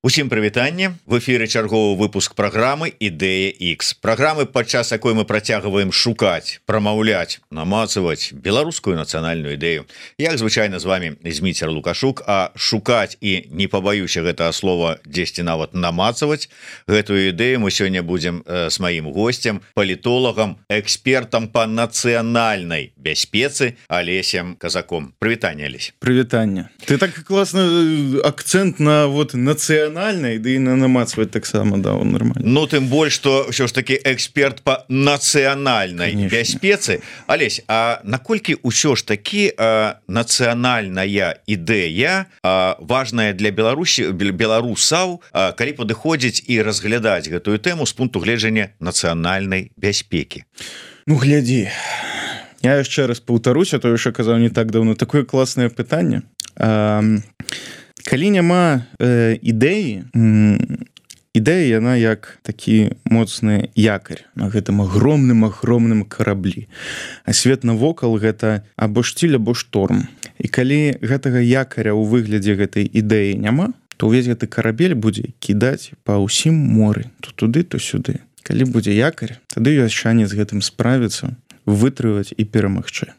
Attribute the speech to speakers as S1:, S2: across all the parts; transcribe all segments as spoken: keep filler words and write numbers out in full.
S1: Усім прывітанне, в эфіры чарговы выпуск праграмы Ідэя X. Праграмы, падчас якой мы працягваем шукаць, прамаўляць, намацаваць беларускую нацыянальную ідэю. Як звычайна з вами Зміцер Лукашук, а шукаць і не пабаюся гэтага слова дзесьці нават намацаваць гэтую ідэю мы сёння будзем э, с маім госцем, палітолагам, экспертам па нацыянальнай бяспецы Алесем Казаком. Прывітанне, Алесь.
S2: Прывітанне. Ты так класна акцент на вот нацыянальнай, да і на намацваць таксама, да, он нормально.
S1: Ну, тым больш, што ўсё ж таки эксперт па нацыянальнай бяспецы. Алесь, а наколькі ўсё ж таки а, нацыянальная ідэя а, важная для Беларусі, беларусаў, а, калі падыходзіць і разглядаць гэтую тэму з пункту гледжання нацыянальнай бяспекі?
S2: Ну, глядзі. Я яшчэ раз паўтаруся, то яшчэ казаў не так даўно. Такое класнае пытанне. А, калі няма э, ідэі, ідэя яна як такі моцны якарь на гэтым агромным агромным караблі, а свет навокал гэта або штиль, або шторм. І калі гэтага якаря ў выглядзе гэтай ідэі няма, то ўвесь гэты карабель будзе кідаць па ўсім моры, то туды, то сюды. Калі будзе якарь, тады ёсць шанец гэтым справіцца, вытрываць і перамагчы.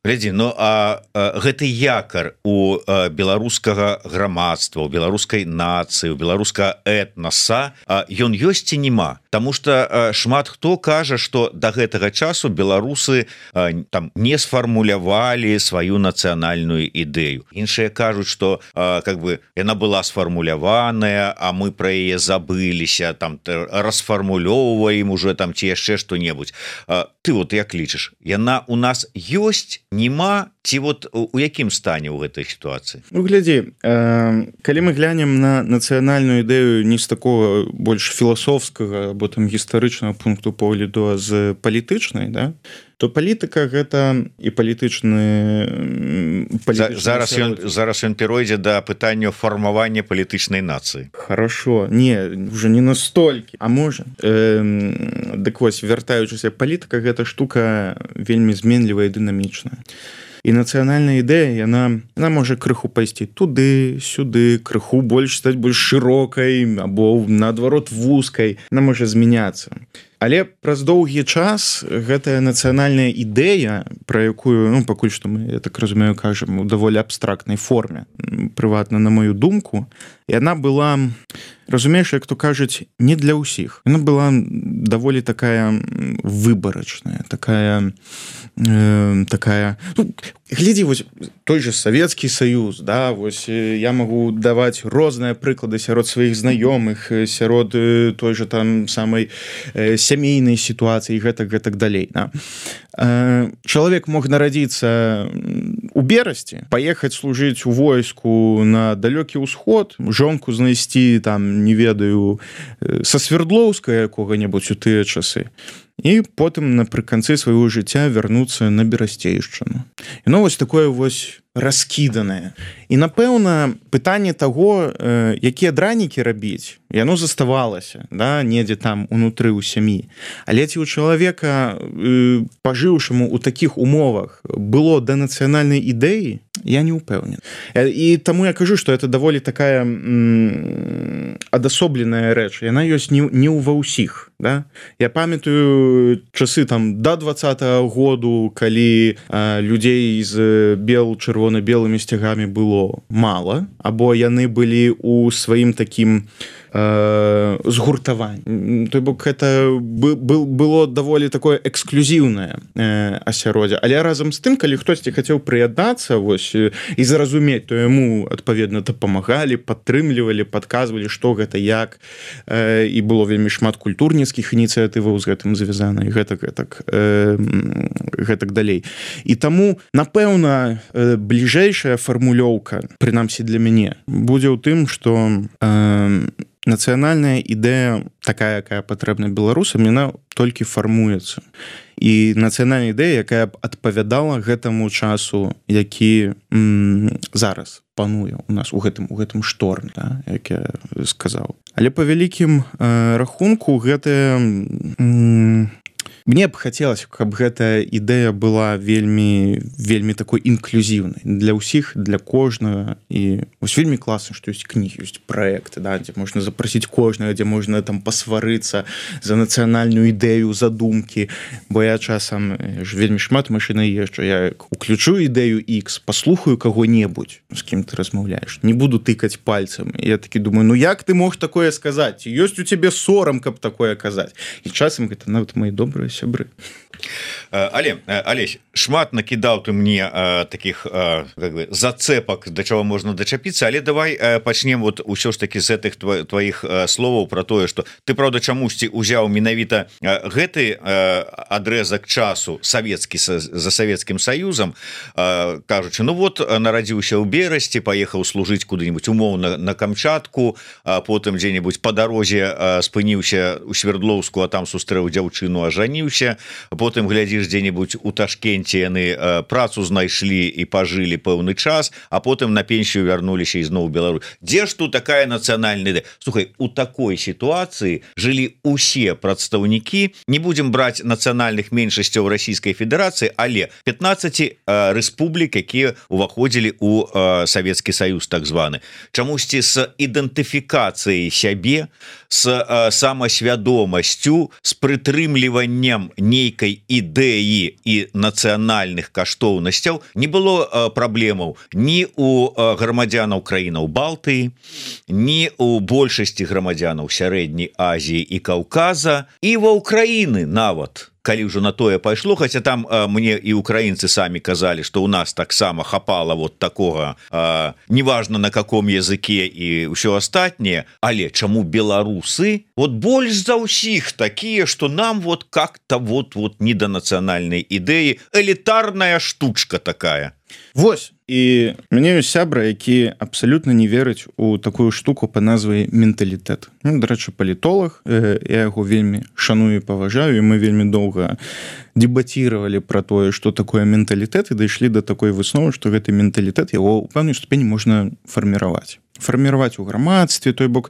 S1: Глядзі, ну а, а гэты якар у а, беларускага грамадства, у беларускай нацыі, у беларускага этнаса, а, ён ёсць ці нема? Таму што а, шмат хто кажа, што да гэтага часу беларусы а, там не сфармулявалі сваю нацыянальную ідэю. Іншыя кажуць, што а, как бы яна была сфармуляваная, а мы пра яе забыліся, там расфармулёўваем уже там ці яшчэ што-небудзь. А, ты вот як лічыш, яна у нас ёсць, нема, ці вот у якім стане ў гэтай сітуацыі?
S2: Ну, глядзі, э, калі мы глянем на нацыянальную ідэю не з такого больш філасофскага або там гістарычнага пункту погляду, а з палітычнай, да, то палітыка гэта і палітычны...
S1: палітычны зараз ён, зараз ён перайдзе да пытання фармавання палітычнай нацыі.
S2: Хорошо. Не, уже не настолькі. А можа? Э, дык вось, вяртаючыся, палітыка гэта штука вельмі зменлівая і дынамічная. І нацыянальная ідэя, яна, яна можа крыху пайсці туды, сюды, крыху больш стаць больш шырокай, або наадварот вузкай. Яна можа змяняцца. Але праз доўгі час гэтая нацыянальная ідэя, пра якую, ну, пакуль што мы, я так разумею, кажам, у даволі абстрактнай форме, прыватна на мою думку, яна была, разумееш, як то кажуць, не для ўсіх. Яна была даволі такая выбарачная, такая, э, такая... Ну, глядзі, вось той же Савецкі Саюз, да, вось я магу даваць розныя прыклады сярод сваіх знаёмых, сярод той же там самай э, сямейнай сітуацыі, гэтак, гэтак далей. Да. Э, чалавек мог нарадзіцца у Берасці, паехаць служыць у войску на далёкі ўсход, жонку знайсці там, не ведаю, са Свердлоўска якога-небудзь у тыя часы. І потым напрыканцы свайго жыцця вярнуцца на Берасцейшчыну. І ну, вось такое вось раскіданае. І, напэўна, пытанне таго, э, якія дранікі рабіць, яно заставалася, да, недзе там унутры ў сям'і. Але ці ў чалавека, э, пажыўшаму ў такіх умовах, было да нацыянальнай ідэі, я не ўпэўнен. І таму я кажу, што это даволі такая м, адасобленая рэч. Яна ёсць не, не ва ўсіх. Да? Я памятаю часы там да двадцатага году, калі а, людзей з бел чырвона-белымі сцягамі было мала, або яны былі ў сваім такім згуртаванне. Той бок гэта было даволі такое эксклюзіўнае асяроддзе. Але разам з тым, калі хтосьці хацеў прыяднацца вось і зразумець, то яму адпаведна дапамагалі, падтрымлівалі, падказвалі, што гэта як, і было вельмі шмат культурніцкіх ініцыятываў з гэтым звязана, і гэтак гэтак гэтак далей. І таму, напэўна, бліжэйшая фармулёўка, прынамсі для мяне, будзе ў тым, што нацыянальная ідэя, такая, якая патрэбна беларусам, яна толькі фармуецца. І нацыянальная ідэя, якая б адпавядала гэтаму часу, які м, зараз пануе у нас у гэтым, у гэтым шторме, да, як я сказаў. Але па вялікім э, рахунку гэтая... М, мне б хацелася, каб гэта ідэя была вельмі вельмі такой інклюзіўнай для ўсіх, для кожнага. І вось вельмі класна, што ёсць кнігі, ёсць праекты, да, дзе можна запрасіць кожнага, дзе можна там пасварыцца за нацыянальную ідэю, задумкі. Бо я часам ж вельмі шмат машына езджу, я уключу ідэю X, паслухаю каго-небудзь, з кім ты размаўляеш, не буду тыкаць пальцам. І я такі думаю, ну як ты мог такое сказаць? Ёсць у цябе сорам, каб такое казаць. І часам гэта нават мои добрыя сябры.
S1: Але Алесь, шмат накідаў ты мне э, таких э, как бы зацепак, да чаго можна дачапіцца, але давай э, пачнем вот усё ж таки з гэтых тва, тваіх э, словаў про тое, что ты правда чамусьці узяў менавіта э, гэты э, адрезак часу савецкі за Савецкім Саюзам, э, кажучы, ну вот нарадзіўся ў Берасці, паехаў служыць куды-нибудь умоўна на Камчатку, а потым дзе-нибудь по дарозе э, спыніўся у Свердлоўску, а там сустрэў дзяўчыну, ажаніўся, потым глядзіш дзе-нибудь у Ташкенце яны э, працу знайшлі і пажылі пэўны час, а потым на пенсію вярнуліся ізноў у Беларусь. Дзе ж тут такая нацыянальная ідэя? Слухай, у такой сітуацыі жылі усе прадстаўнікі, не будзем браць нацыянальных меншасцяў Расійскай Федэрацыі, але пятнаццаць э, рэспублік, якія уваходзілі у э, Савецкі Саюз так званы. Чамусьці з ідэнтыфікацыяй сябе, з э, самасвядомасцю, з прытрымліваннем нейкай ідэі і нацыянальных каштоўнасцяў не было э, праблемаў ні у э, грамадзянаў краінаў Балтыі, ні у большасці грамадзянаў Сярэдняй Азіі і Каўказа, і ва Ўкраіны нават, калі ўжо на тое пайшло, хаця там э, мне і украінцы самі казалі, што ў нас таксама хапала вот такога, э, неважна на каком языке і ўсё астатняе, але чаму беларусы вот больш за ўсіх такія, што нам вот как-то вот вот не да нацыянальнай ідэі, элітарная штучка такая.
S2: Вось, і мяне ёсць сябра, які абсалютна не верыць у такую штуку па назвай менталітэт. Ну, дарэчы, палітолог, э, я яго вельмі шаную і паважаю, і мы вельмі доўга дэбаціравалі пра тое, што такое менталітэт, і дайшлі да такой высновы, што гэты менталітэт яго ў пэўнай ступені можна фарміраваць. Фарміраваць у грамадстве, той бок,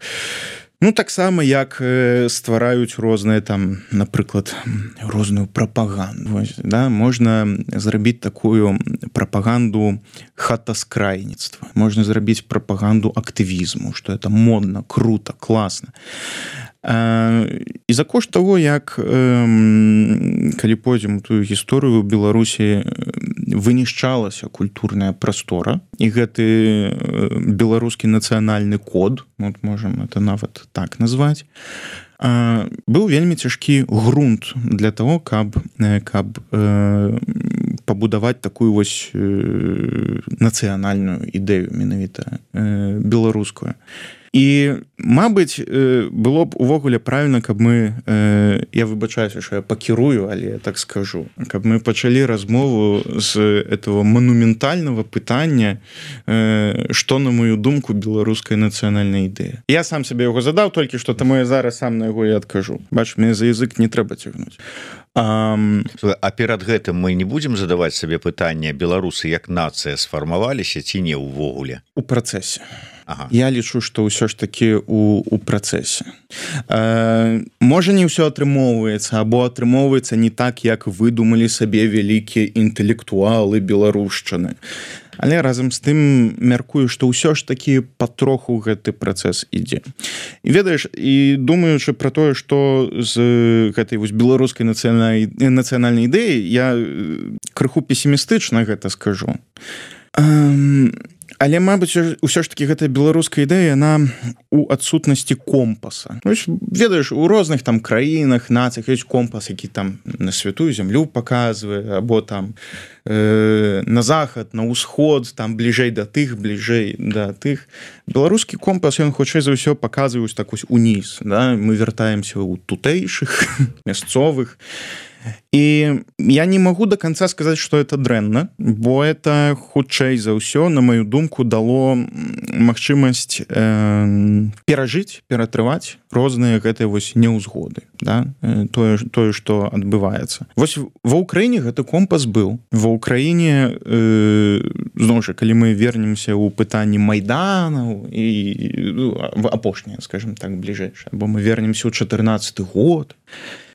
S2: ну, таксама, як э, ствараюць розныя там, напрыклад, розную прапаганду. Вось, да? Можна зрабіць такую прапаганду хатаскрайніцтва. Можна зрабіць прапаганду актывізму, што это модна, круто, класна. І за кошт того, як калі пойдзем у тую гісторыю, у Беларусі вынішчалася культурная прастора, і гэты беларускі нацыянальны код, вот можем это нават так назваць, быў вельмі цяжкі грунт для того, каб, каб пабудаваць такую вось нацыянальную ідэю менавіта беларускую. І, мабыць, было б увогуле правільна, каб мы, я выбачаюся, што я пакірую, але я так скажу, каб мы пачалі размову з этого манументальнага пытання, што, на мою думку, беларуская нацыянальная ідэя. Я сам сабе яго задаў, толькі што таму я зараз сам на яго і адкажу. Бач, мне за язык не трэба цягнуць. А,
S1: а перад гэтым мы не будзем задаваць сабе пытанне, беларусы як нацыя сфармаваліся ці не ўвогуле?
S2: У працэсе.
S1: Ага.
S2: Я лічу, што ўсё ж такі у, у працэсе. Э, можа, не ўсё атрымоўваецца, або атрымоўваецца не так, як выдумалі сабе вялікія інтэлектуалы беларушчыны. Але разам з тым мяркую, што ўсё ж такі патроху гэты працэс ідзе. І ведаеш, і думаючы пра тое, што з гэтай вось беларускай нацыянальнай ідэі, я крыху песімістычна гэта скажу. Э, Але, мабыць, усё ж такі гэтая беларуская ідэя, яна у адсутнасці компаса. Ведаеш, у розных там краінах, нацыях ёсць компас, які там на святую зямлю паказвае, або там э, на захад, на ўсход, там бліжэй да тых, бліжэй да тых. Беларускі компас, ён хутчэй за ўсё паказвае так вось уніз. Да? Мы вяртаемся ў тутэйшых, мясцовых. І я не магу до конца сказаць, што это дрэнна, бо это хутчэй за ўсё, на маю думку, дало магчымасць э, перажыць, ператрываць розныя гэтыя вось неўзгоды, да? тое, тое, што адбываецца. Вось ва Ўкраіне гэты компас быў. Ва Ўкраіне э, зноў жа калі мы вернемся ў пытанні майданаў і ну, апошняе скажем так бліжэйшае бо мы вернемся ў чатырнаццаты год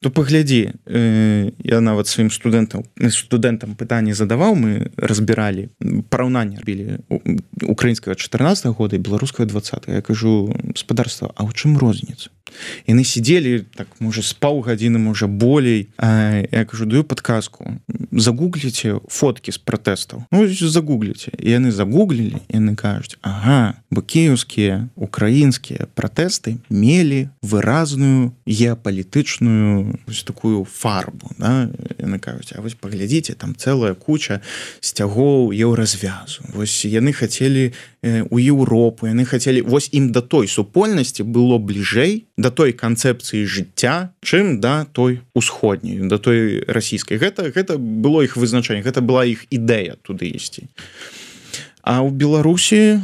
S2: то паглядзі э, я нават сваім студэнтам студэнтам пытанні задаваў мы разбіралі параўнанне рабілі украінскага чатырнаццатага года і беларускага двадцатага я кажу гаспадарства а ў чым розніца яны сидзелі так можа з паўгадзіны можа болей а, я кажу даю падказку загугліце фоткі з пратэстаў ну загугліце яны загуглілі яны кажуць ага бо кіеўскія украінскія пратэсты мелі выразную геапалітычную ось такую фарбу да? Яны кажуць а вось паглядзіце там цэлая куча сцягоў еўразвязу вось яны хацелі э, у Еўропу яны хацелі вось ім да той супольнасці было бліжэй да той канцэпцыі жыцця чым да той усходняй да той расійскай гэта гэта было іх вызначэнне гэта была іх ідэя туды ісці а ў Беларусі э,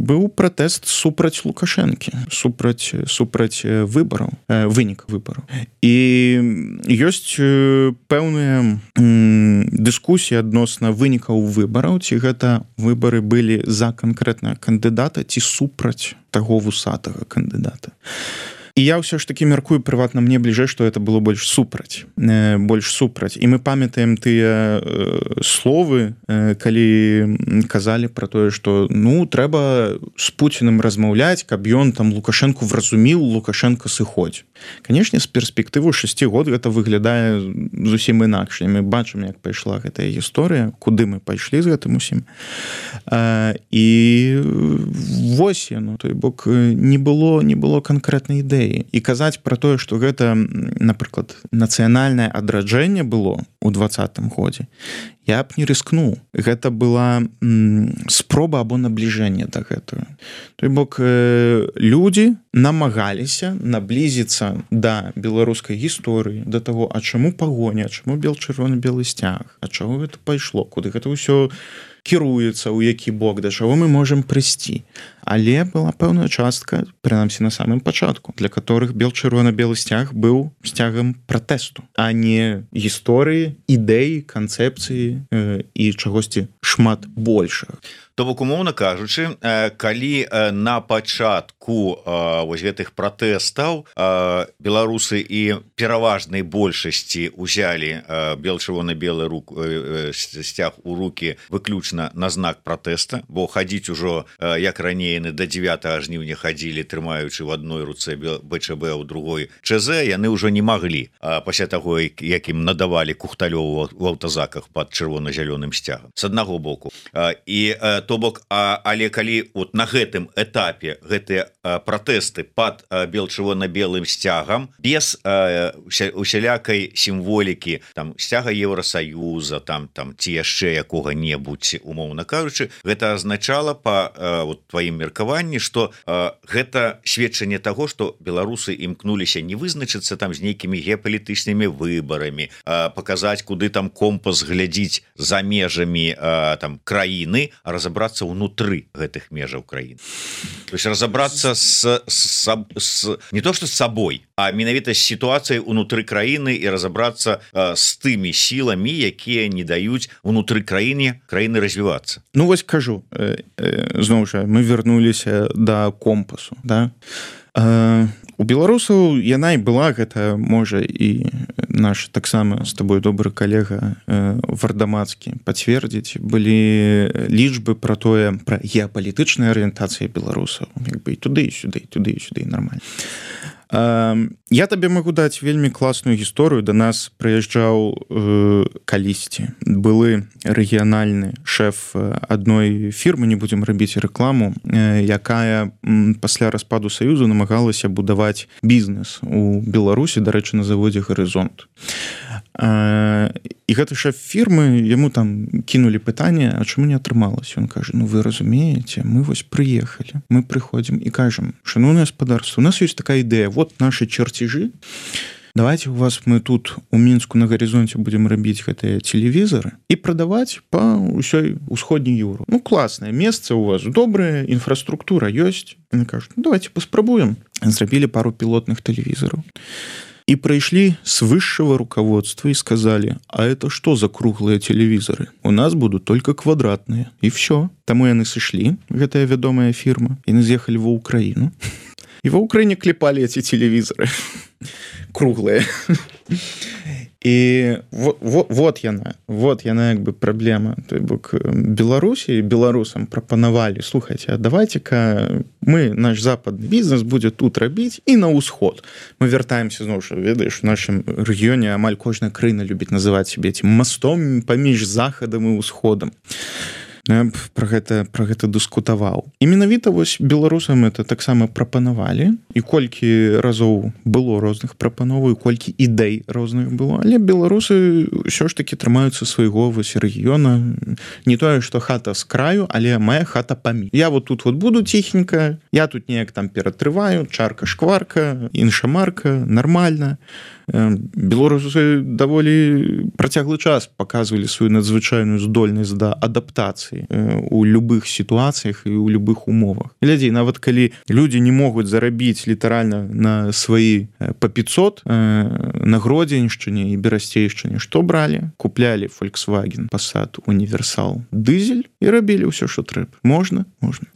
S2: быў пратэст супраць Лукашэнкі супраць супраць выбараў э, вынік выбараў і ёсць э, пэўныя э, дыскусіі адносна вынікаў выбараў ці гэта выбары былі за канкрэтнага кандыдата ці супраць таго вусатага кандыдата і я ўсё ж таки мяркую прыватна мне бліжэй што это было больш супраць э, больш супраць і мы памятаем тыя э, словы э, калі казалі про тое што ну трэба з Пуціным размаўляць каб ён там Лукашэнку вразуміў Лукашенко сыходзь канешне з перспектыву шасці год гэта выглядае зусім інакш мы бачым як пайшла гэтая гісторыя куды мы пайшлі з гэтым усім э, і вось яно той бок не было не было канкрэтнай ідэі і казаць пра тое што гэта напрыклад нацыянальнае адраджэнне было у двадцатым годзе я б не рыскнуў гэта была м, спроба або набліжэнне да гэтага той бок э, людзі намагаліся наблізіцца да беларускай гісторыі да таго а чаму пагоня чаму бел-чырвона-белы сцяг а чаго гэта пайшло куды гэта ўсё кіруецца ў які бок да чаго мы можам прыйсці але была пэўная частка прынамсі на самым пачатку для которых бел-чырвона-белы сцяг быў сцягам пратэсту а не гісторыі ідэі канцэпцыі э, і чагосьці шмат большага
S1: То бок умоўна кажучы калі на пачатку вось гэтых пратэстаў беларусы і пераважнай большасці узялі бел-чырвона-белы рук сцяг у руки выключна на знак пратэста бо хадзіць ужо як раней яны до дзевятага жніўня хадзілі трымаючы в адной руцэ БЧБ у другой ЧЗ яны ўжо не маглі пасля таго як ім надавалі Кухталёву в аўтазаках под чырвона-зялёным сцягам з аднаго боку і то бок а, але калі от на гэтым этапе гэтыя пратэсты под бел-чырвона-белым сцягам без а, усялякай сімволікі там сцяга Еўросаюза там там ці яшчэ якога-небудзь умоўна кажучы гэта азначала по вот тваім меркаванні что гэта сведчанне таго что беларусы імкнуліся не вызначыцца там з нейкімі геапалітычнымі выбарамі паказаць куды там компас глядзіць за межамі там краіны разобраться разобраться внутры гэтых межаў краін то есть разобраться с, с, с не то что с собой а менавіта з сітуацыяй унутры краіны і разобраться с тымі сіламі якія не даюць унутры краіне краіны развівацца
S2: ну вось кажу э, э, зноў жа мы вярнуліся да компасу да э, у беларусаў яна і была гэта можа і наш таксама з тобой добры калега э, вардамацкі пацвердзіць былі лічбы про тое пра геапалітычныя арыентацыі беларусаў як бы і туды і сюды туды і сюды нормально э, я табе магу даць вельмі класную гісторыю да нас прыязджаў э, калісьці былы рэгіянальны шэф адной фірмы не будзем рабіць рэкламу э, якая м, пасля распаду саюзу намагалася будаваць бізнес у Беларусі дарэчы на заводзе Гарызонт э, і гэты шэф фірмы яму там кінулі пытанне а чаму не атрымалася ён кажа ну вы разумееце мы вось прыехалі мы прыходзім і кажам шаноўнае гаспадарства у нас ёсць такая ідэя вот наши чертежи давайте у вас мы тут у Мінску на Гарызонце будем рабіць гэтыя телевізоры і прадаваць по ўсёй усходняй Еўропе ну класнае месца у вас добрая інфраструктура ёсць кажут ну, давайте паспрабуем зрабілі пару пілотных тэлевізораў И пришли с высшего руководства и сказали: а это что за круглые телевизоры? У нас будут только квадратные. И все. Тому яны сышлі, гэтая вядомая фирма, и з'ехали в Украину. И в Украине клепали эти телевизоры круглые. И вот, вот, вот яна, вот яна як бы праблема. То бок Беларусі, беларусам прапанавалі: слухайте, а давайте-ка мы, наш западный бизнес будет тут рабіць і на ўсход. Мы вяртаемся, зноў жа, ведаеш, в нашем рэгіёне амаль кожная краіна любіць называць себе этим мостом паміж захадам і ўсходам. Я про гэта, про гэта дыскутаваў. І менавіта вось беларусам это таксама прапанавалі, і колькі разоў было розных прапановаў, і колькі ідэй розных было, але беларусы ўсё ж таки трымаюцца свайго вось рэгіёна. Не тое, што хата з краю, але моя хата паміж. Я вот тут вот буду ціхенька, я тут неяк там ператрываю, чарка-шкварка, інша марка, нармальна. Беларусы даволі працяглы час паказвалі сваю надзвычайную здольнасць да адаптацыі у любых сітуацыях і ў любых умовах. Глядзі, нават калі людзі не могуць зарабіць літаральна на сваі па пятьсот на Гродзеншчыне і Берасцейшчыне, што бралі? Куплялі Volkswagen, Passat, Універсал, дызель і рабілі ўсё, што трэба. Можна? Можна.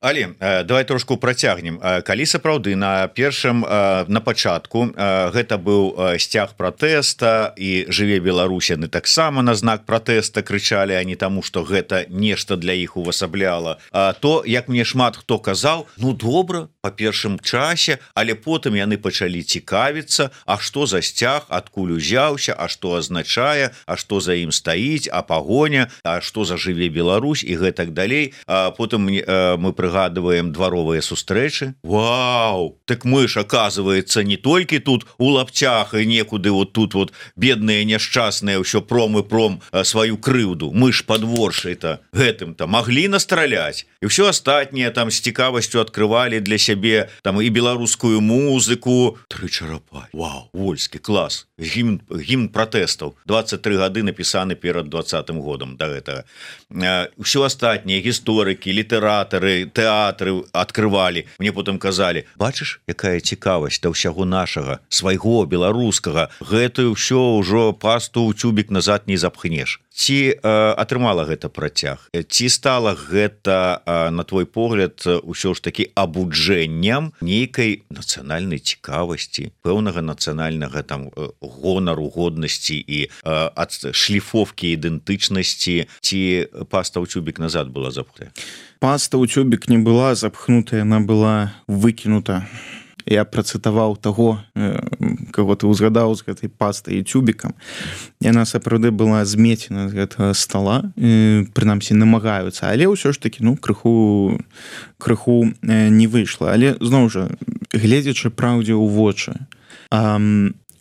S1: Але давай трошку працягнем. Калі сапраўды на першым, на пачатку гэта быў сцяг пратэста і жыве Беларусь, яны таксама на знак пратэста крычалі, а не таму, што гэта нешта для іх увасабляла, то, як мне шмат хто казаў, ну добра, па першым часе, але потым яны пачалі цікавіцца, а што за сцяг, адкуль узяўся, а што азначае, а што за ім стаіць, а пагоня, а што за жыве Беларусь і гэтак далей. Потым мы прыгадываем Прыгадываем дваровыя сустрэчы. Вау! Так мы ж, оказывается, не толькі тут у лапцях і некуды вот тут вот бедныя няшчасныя ўсё пром і пром сваю крыўду. Мы ж падворшай-то гэтым-то маглі настраляць. І ўсё астатняе там з цікавасцю адкрывалі для сябе там і беларускую музыку. Тры чарапай. Вау! Вольскі, клас. Гімн, гімн пратэстаў. двадцать три гады напісаны перад двадцатым годам да гэтага. Усё астатняе, гісторыкі, літаратары, тэатры адкрывалі. Мне потым казалі: бачыш, якая цікавасць да ўсяго нашага, свайго, беларускага, гэтую ўсё ўжо пасту ў цюбік назад не запхнеш. Ці э, атрымала гэта працяг? Ці стала гэта, э, на твой погляд, ўсё ж такі абуджэннем нейкай нацыянальнай цікавасці, пэўнага нацыянальнага там гонару, годнасці і э, ад шліфовкі ідэнтычнасці, ці паста ў цюбік назад была запхнутая?
S2: Паста ў цюбік не была запхнутая, яна была выкінута. Я працытаваў таго, каго ты ўзгадаў з гэтай пастай і цюбікам. Яна сапраўды была змецена з гэтага стола, прынамсі намагаюцца, але ўсё ж такі, ну, крыху, крыху не выйшла. Але, зноў жа, гледзячы праўдзе ў вочы,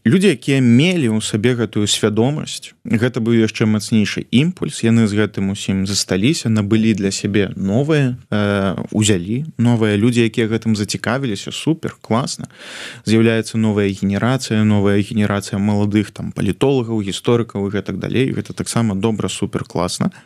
S2: людзі, якія мелі ў сабе гэтую свядомасць, гэта быў яшчэ мацнейшы імпульс, яны з гэтым усім засталіся, набылі для сябе новыя, э, узялі новыя людзі, якія гэтым зацікавіліся, супер, класна. З'яўляецца новая генерацыя, новая генерацыя маладых там палітолагаў, гісторыкаў і гэтак далей. Гэта таксама добра, супер, класна.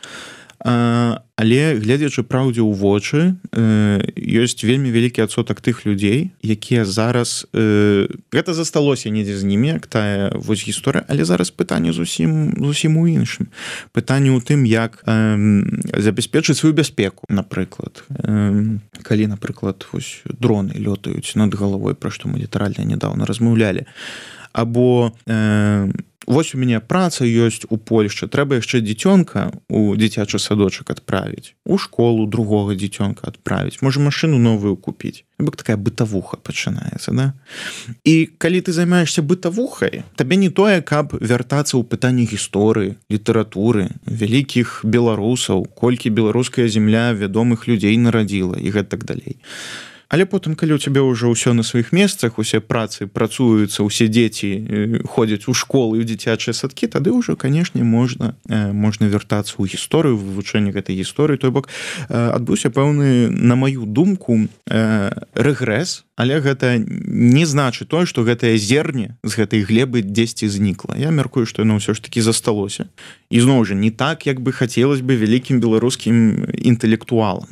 S2: Але, гледзячы праўдзе ў вочы, ёсць вельмі вялікі адсотак тых людзей, якія зараз... Гэта засталося недзе з німі, як тая вось гісторыя, але зараз пытанне зусім, зусім у іншым. Пытанне ў тым, як забяспечыць сваю бяспеку, напрыклад. Калі, напрыклад, вось дроны лётаюць над галавой, пра што мы літаральна нядаўна размаўлялі. Або... Вось у мяне праца ёсць у Польшчы, трэба яшчэ дзіцёнка у дзіцячы садочак адправіць, у школу другога дзіцёнка адправіць, можа машыну новую купіць. Бок такая бытавуха пачынаецца, да? І калі ты займаешься бытавухай, табе не тое, каб вяртацца ў пытанні гісторыі, літаратуры, вялікіх беларусаў, колькі беларуская зямля вядомых людзей нарадзіла і гэтак далей. Але потым, калі ў цябе ўжо ўсё на сваіх месцах, усе працы працуюцца, усе дзеці ходзяць у школы і ў дзіцячыя садкі, тады ўжо, канешне, можна, можна вяртацца ў гісторыю, вывучэнне гэтай гісторыі. Той бок, адбыўся пэўны, на маю думку, рэгрэс, але гэта не значыць тое, што гэтае зерне з гэтай глебы дзесьці знікла. Я мяркую, што яно ўсё ж такі засталося. І зноў жа, не так, як бы хацелось бы вялікім беларускім інтэлектуалам.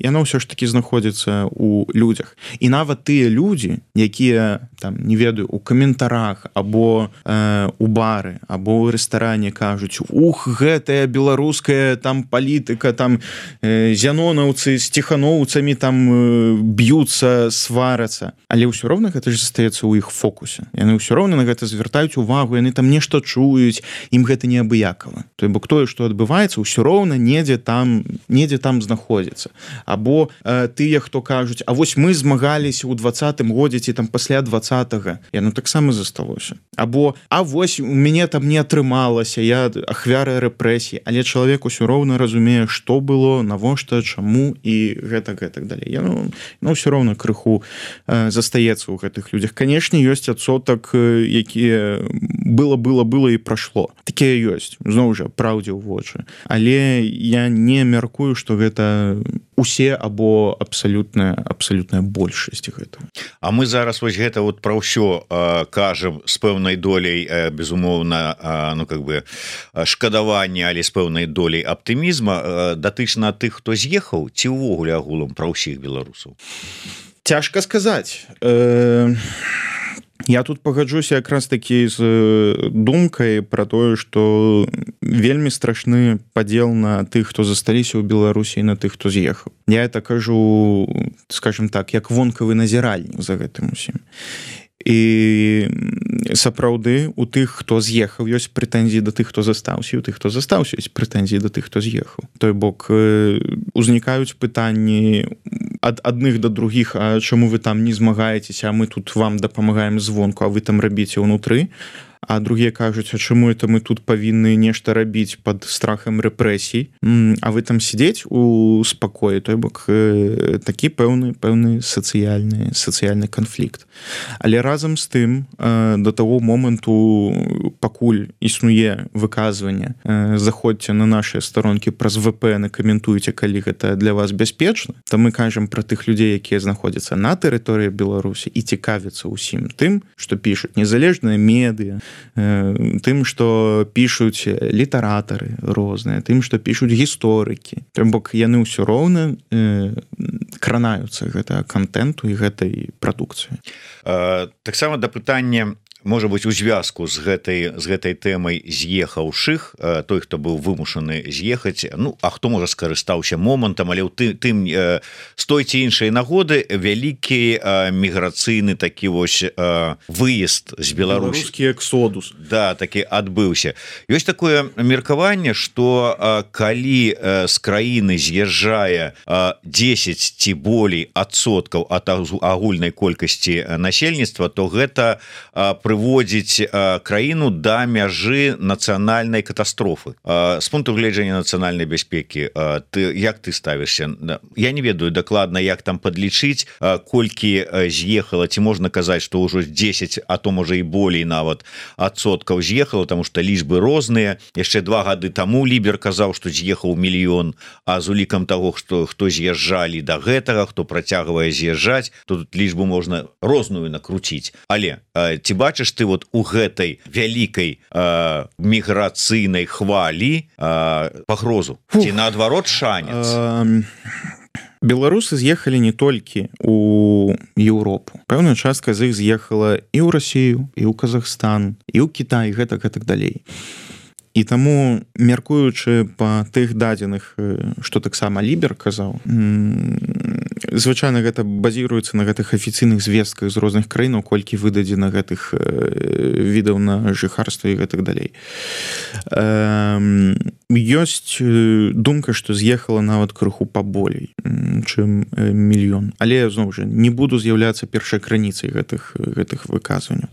S2: Яно ўсё ж такі знаходзіцца у у людзях. І нават тыя людзі, якія там не ведаю у каментарах або э, у бары або ў рэстаране кажуць: ух, гэтая беларуская там палітыка, там э, зянонаўцы з ціханоўцамі там э, б'юцца, сварацца, але ўсё роўна гэта ж застаецца ў іх фокусе. Яны ўсё роўна на гэта звяртаюць увагу, яны там нешта чуюць, ім гэта неабыякава. То бок тое, што адбываецца, ўсё роўна недзе там недзе там знаходзіцца. Або э, тыя, хто кажуць: а вось мы змагаліся ў двадцатым годзе ці там пасля двадцатага, яно таксама засталося. Або а вось у мяне там не атрымалася, я ахвяра рэпрэсій, але чалавек усё роўна разумее, што было, навошта, чаму і гэта гэтак далей. Яно ну, ўсё роўна крыху э, застаецца ў гэтых людзях. Канешне, ёсць адсотак, які было было было і прайшло. Такія ёсць, зноў жа, праўдзе ў вочы. Але я не мяркую, што гэта усе або абсалютная абсалютная большасць гэтага.
S1: А мы зараз вось гэта вот пра ўсё э, кажам з пэўнай доляй э, безумоўна э, ну как бы шкадавання, але з пэўнай доляй аптымізма, э, датычна тых, хто з'ехаў, ці ўвогуле агулам пра ўсіх беларусаў?
S2: Цяжка сказаць. Э... Я тут пагаджуся якраз такі з думкай пра тое, што вельмі страшны падзел на тых, хто засталіся ў Беларусі, і на тых, хто з'ехаў. Я это кажу, скажем так, як вонкавы назіральнік за гэтым усім. І сапраўды у тых, хто з'ехаў, ёсць прэтэнзіі да тых, хто застаўся, і у тых, хто застаўся, ёсць прэтэнзіі да тых, хто з'ехаў. Той бок узнікаюць пытанні ад адных да другіх: а чаму вы там не змагаецеся, а мы тут вам дапамагаем звонку, а вы там рабіце ўнутры. А другія кажуць: а чаму это мы тут павінны нешта рабіць пад страхам рэпрэсій, а вы там сидзець у спакоі. Той бок такі пэўны пэўны сацыяльны сацыяльны канфлікт. Але разам з тым, да таго моманту, пакуль існуе выказванне: заходзьце на нашыя старонкі праз вэ пэ эн і каментуйце, калі гэта для вас бяспечна, то мы кажам пра тых людзей, якія знаходзяцца на тэрыторыі Беларусі і цікавяцца ўсім тым, што пішуць незалежныя медыа, тым, што пішуць літаратары розныя, тым, што пішуць гісторыкі. Тым бок яны ўсё роўна э, кранаюцца гэтага контенту і гэтай прадукцыі.
S1: Таксама да пытання, можа быць, у звязку з гэтай з гэтай тэмай з'ехаўшых, той, хто быў вымушаны з'ехаць, ну а хто можа скарыстаўся момантам, але ў тым, тым з той ці іншай нагоды вялікі міграцыйны такі вось выезд з Беларусі,
S2: беларускі эксодус,
S1: да, такі адбыўся. Ёсць такое меркаванне, што калі з краіны з'язджае дзесяць ці болей адсоткаў ад агульнай колькасці насельніцтва, то гэта прыводзіць краіну да мяжы нацыянальнай катастрофы. З пункту гледжання нацыянальнай бяспекі, ты, як ты ставішся? Я не ведаю дакладна, як там падлічыць, колькі з'ехала, ці можна казаць, што ўжо дзесяць, а то можа і болей нават адсоткаў з'ехала, таму што лічбы розныя. Яшчэ два гады таму Лібер казаў, што з'ехаў мільён, а з улікам таго, што хто з'язджалі да гэтага, хто працягвае з'язджаць, то тут лічбу можна розную накруціць. Але ці бачыш ты вот у гэтай вялікай э, міграцыйнай хвалі э, пагрозу? Фух. Ці наадварот шанец?
S2: Э, беларусы з'ехалі не толькі у Еўропу. Пэўная частка з іх з'ехала і ў Расію, і ў Казахстан, і ў Кітай, і гэтак, гэтак далей. І таму, мяркуючы па тых дадзеных, што таксама Лібер казаў, звычайна гэта базіруецца на гэтых афіцыйных звестках з розных краінаў, колькі выдадзена гэтых відаў на жыхарства і гэтак далей. Ёсць думка, што з'ехала нават крыху паболей, чым мільён. Але, зноў жа, не буду з'яўляцца першай крыніцай гэтых, гэтых выказванняў.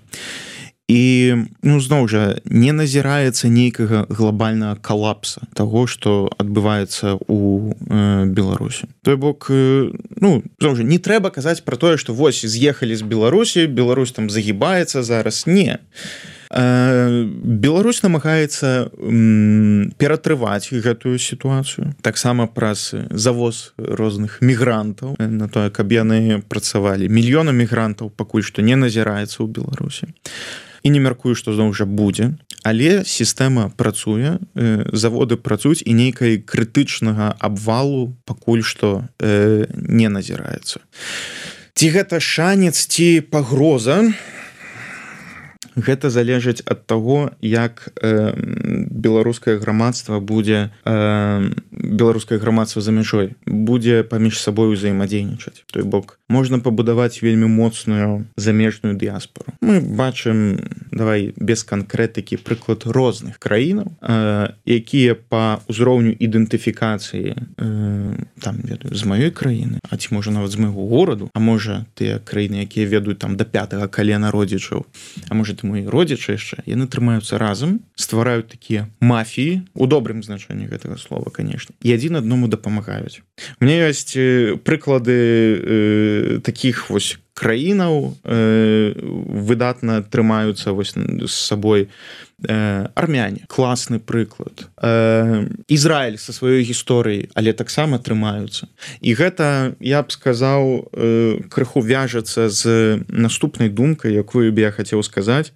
S2: І, ну, зноў жа, не назіраецца нейкага глобальнага калапса таго, што адбываецца ў э, Беларусі. Той бок, э, ну, зноў жа, не трэба казаць пра тое, што вось з'ехалі з Беларусі, Беларусь там загібаецца зараз. Не. Э, Беларусь намагаецца м, ператрываць гэтую сітуацыю. Таксама праз завоз розных мігрантаў на тое, каб яны працавалі. Мільёна мігрантаў пакуль што не назіраецца ў Беларусі. І не мяркую, што зноў жа будзе, але сістэма працуе, заводы працуюць, і нейкай крытычнага абвалу пакуль што э, не назіраецца. ці гэта шанец ці пагроза, гэта залежыць ад таго, як э, беларускае грамадства будзе э, беларускае грамадства за мяжой будзе паміж сабой узаемадзейнічаць. Той бок можна пабудаваць вельмі моцную замежную дыяспору. Мы бачым, давай без канкрэтыкі, прыклад розных краінаў, э, якія па ўзроўню ідэнтыфікацыі э, там ведаю з маёй краіны, а ці можа нават з майго гораду, а можа тыя краіны, якія ведаюць там да пятага калена родзічаў, а можа ты мои родзічы яшчэ, яны трымаюцца разам, ствараюць такія мафіі, у добрым значэнні гэтага слова, конечно, і адзін аднаму дапамагаюць. У меня ёсць прыклады э, такіх вось краінаў, э, выдатна трымаюцца вось з сабой. Э, армяне, класны прыклад. Э, Ізраіль са сваёй гісторыяй, але таксама трымаюцца. І гэта, я б сказаў, э, крыху вяжацца з наступнай думкай, якую б я хацеў сказаць.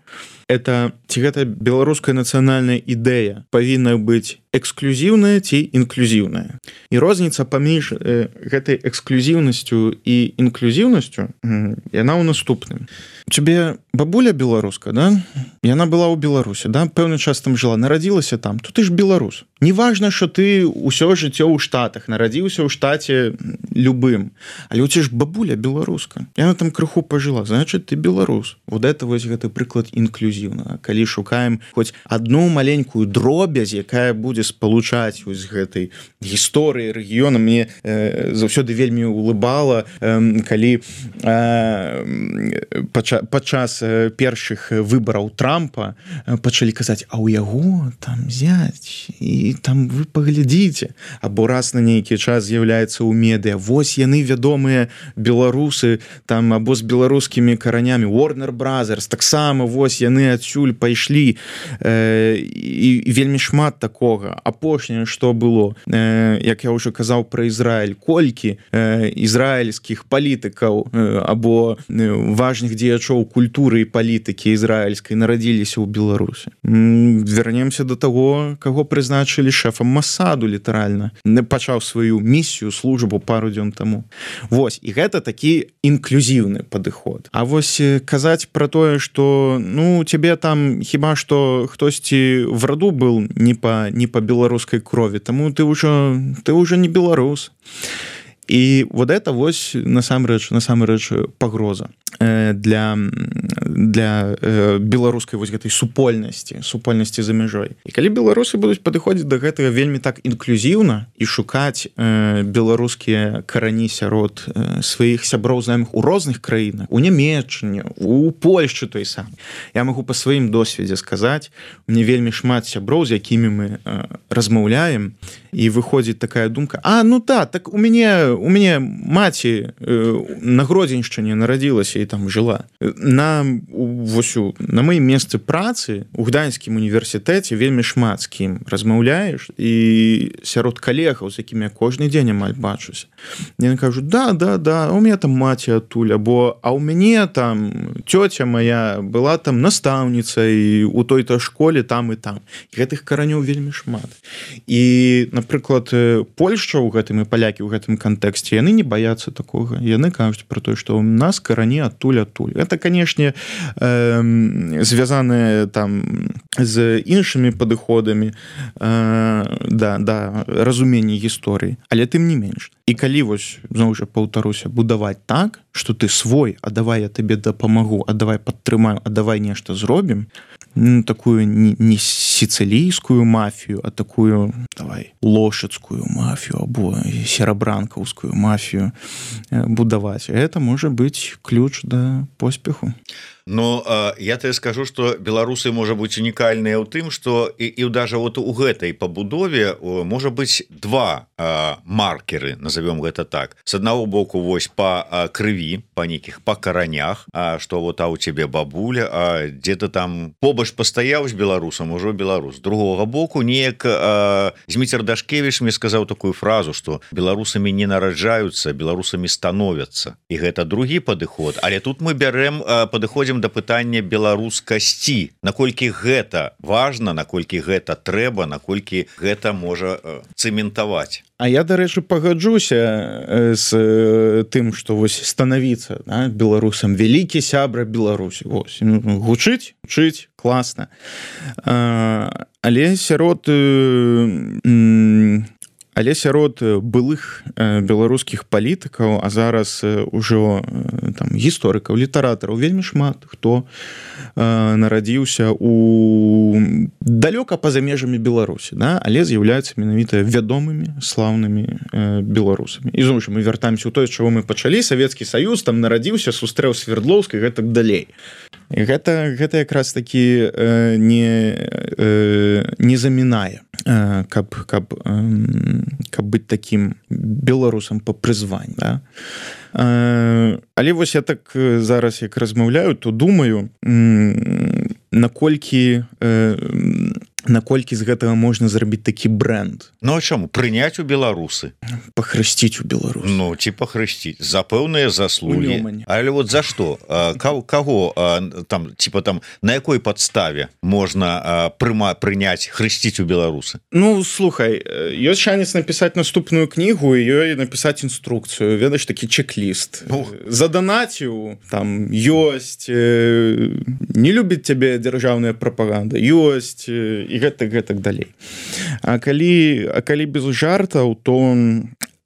S2: Это ці гэта беларуская нацыянальная ідэя павінна быць эксклюзіўная ці інклюзіўная. І розніца паміж э, гэтай эксклюзіўнасцю і інклюзіўнасцю, э, яна ў наступным. У цябе бабуля беларуска, да? Яна была ў Беларусі, да? Пэўны час там жыла, нарадзілася там, то ты ж беларус. Не важна, што ты ўсё жыццё ў Штатах, нарадзіўся ў штаце любым, але у цябе ж бабуля беларуска. Яна там крыху пажыла, значит, ты беларус. Вот это вось гэты прыклад інклюзіўна. Калі шукаем хоць адну маленькую дробязь, якая будзе спалучаць вось гэтай гісторыі рэгіёна, мне э, заўсёды вельмі улыбала, э, калі э, пача, падчас э, першых выбараў Трампа э, пачалі казаць, а ў яго там зяць, і там вы паглядзіце, або раз на нейкі час з'яўляецца ў медыа, вось яны вядомыя беларусы там або з беларускімі каранямі, Warner Brothers, таксама вось яны адсюль пайшлі, э, і, і вельмі шмат такога. Апошняе, што было, э, як я ўжо казаў пра Ізраіль, колькі э, ізраільскіх палітыкаў э, або э, важных дзеячоў культуры і палітыкі ізраільскай нарадзіліся ў Беларусі. М, вернемся до таго, каго прызначылі шэфам Масаду літаральна, пачаў сваю місію, службу пару дзён таму. Вось, і гэта такі інклюзіўны падыход. А вось казаць пра тое, што ну, цябе там хіба што хтосьці в роду был не па, не па беларускай крові, таму ты ўжо, ты ўжо не беларус. І вот это вось насамрэч, насамрэч пагроза для, для беларускай вось гэтай супольнасці, супольнасці за мяжой. І калі беларусы будуць падыходзіць да гэтага вельмі так інклюзіўна і шукаць э, беларускія карані сярод э, сваіх сяброў знаёмых у розных краінах, у Нямецчыне, у Польшчы той сам. Я магу па сваім досведзе сказаць, мне вельмі шмат сяброў, з якімі мы э, размаўляем, і выходзіць такая думка, а, ну та, так у мяне, у мяне маці э, на Гродзеншчыне нарадзілася і там жыла. На, вось, на маім месцы працы у Гданьскім універсітэце вельмі шмат з кім размаўляеш, і сярод калегаў, з якімі я кожны дзень амаль бачуся. Яны кажуць, да, да, да, у мяне там маці адтуль, або а ў мяне там цёця моя была там настаўніцай у той-то школе там і там. І гэтых каранёў вельмі шмат. І, напрыклад, Польшча ў гэтым і палякі ў гэтым кантэксце, яны не баяцца такога. Яны кажуць пра тое, што у нас карані адтуль адтуль. Это, канешне, э, звязанае там з іншымі падыходамі э, да, да разумення гісторыі, але тым не менш. І калі вось, зноў жа паўтаруся, будаваць так, што ты свой, а давай я табе дапамагу, а давай падтрымаю, а давай нешта зробім, ну, такую не, не сіцылійскую мафію, а такую, давай, лошацкую мафію або серабранкаўскую мафію будаваць. Это можа быць ключ да поспеху.
S1: Ну, я тебе скажу, что беларусы можа быць унікальныя ў тым, что і, і даже вот у гэтай пабудове можа быць два а, маркеры, назовем гэта так. С одного боку, вось по а, крыві, по нейкіх па каранях, а что вот а у тебе бабуля, а где-то там побач пастаяў з беларусам, ужо беларус. З другого боку, неяк а, Зміцер Дашкевіч мне сказаў такую фразу, что беларусамі не нараджаюцца, беларусамі становяцца. І гэта другі падыход. Але тут мы бярэм а, падыходзім да пытання беларускасці, наколькі гэта важна, наколькі гэта трэба, наколькі гэта можа цэментаваць.
S2: А я дарэчы пагаджуся з тым што вось станавіцца, да, беларусам вялікі сябра Беларусі, вось ну, гучыць чыць класна, але сярод але сярод былых беларускіх палітыкаў, а зараз ужо там гісторыкаў, літаратараў вельмі шмат хто нарадзіўся у далёка па-за межамі Беларусі, да? Але з'яўляюцца менавіта вядомымі слаўнымі беларусамі. І зноў жа мы вяртаемся ў тое, чаго мы пачалі, Савецкі Саюз там нарадзіўся, сустрэў Свердлоўск і гэтак далей. І гэта, гэта якраз такі э, не, э, не замінае, э, каб, каб, э, каб быць такім беларусам па прызванні. Да? Э, але вось я так зараз як размаўляю, то думаю, э, наколькі э, наколькі з гэтага можна зрабіць такі бренд.
S1: Ну а чаму прыняць у беларусы,
S2: пахрысціць у Беларусь,
S1: ну ці пахрысціць за пэўныя заслугі, але вот за што каго там типа там на якой падставе можна прыма прыняць хрысціць у беларусы?
S2: Ну слухай, ёсць шанец напісаць наступную кнігу і ёй напісаць інструкцыю, ведаеш, такі чек-ліст. Ну. Заданаціў там ёсць, не любіць цябе дзяржаўная прапаганда, ёсць і гэтак гэтак далей. А калі, а калі без жартаў, то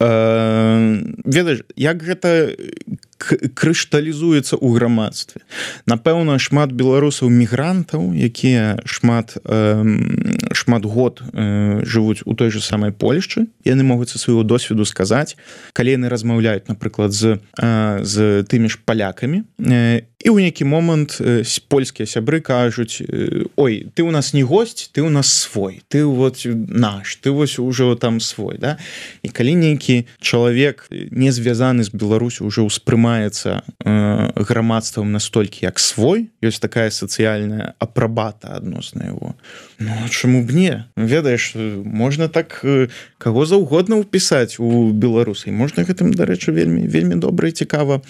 S2: э, ведаеш, як гэта крышталізуецца ў грамадстве. Напэўна, шмат беларусаў-мігрантаў, якія шмат, э, шмат год э, жывуць у той же самай Польшчы, яны могуць са свайго досведу сказаць, калі яны размаўляюць, напрыклад, з, э, з тымі ж палякамі, э, і ў нейкі момант э, польскія сябры кажуць: ой, ты у нас не госць, ты у нас свой, ты вот наш, ты вось ужо там свой, да? І калі нейкі чалавек не звязаны з Беларусю ўжо ўспрымаецца э, грамадствам настолькі як свой, ёсць такая сацыяльная апрабата адносна яго. Ну, чаму б не? Ведаеш, можна так э, каго заўгодна ўпісаць у беларусы. Можна гэтым, дарэчы, вельмі, вельмі добра і цікава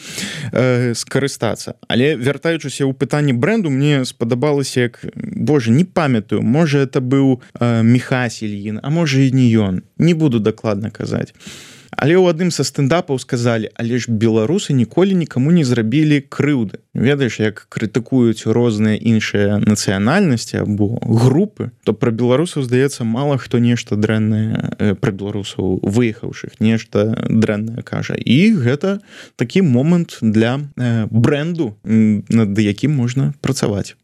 S2: э, скарыстацца. Але вяртаючыся ў пытанні бренду, мне спадабалася, як, боже, не памятаю, можа это быў э, Міхась Ільін, а можа і не ён. Не буду дакладна казаць. Але ў адным са стендапаў сказалі: але ж беларусы ніколі нікаму не зрабілі крыўды. Ведаеш, як крытыкуюць розныя іншыя нацыянальнасці або групы, то пра беларусаў, здаецца, мала хто нешта дрэннае, пра беларусаў выехаўшых нешта дрэннае кажа. І гэта такі момант для бренду, над якім можна працаваць.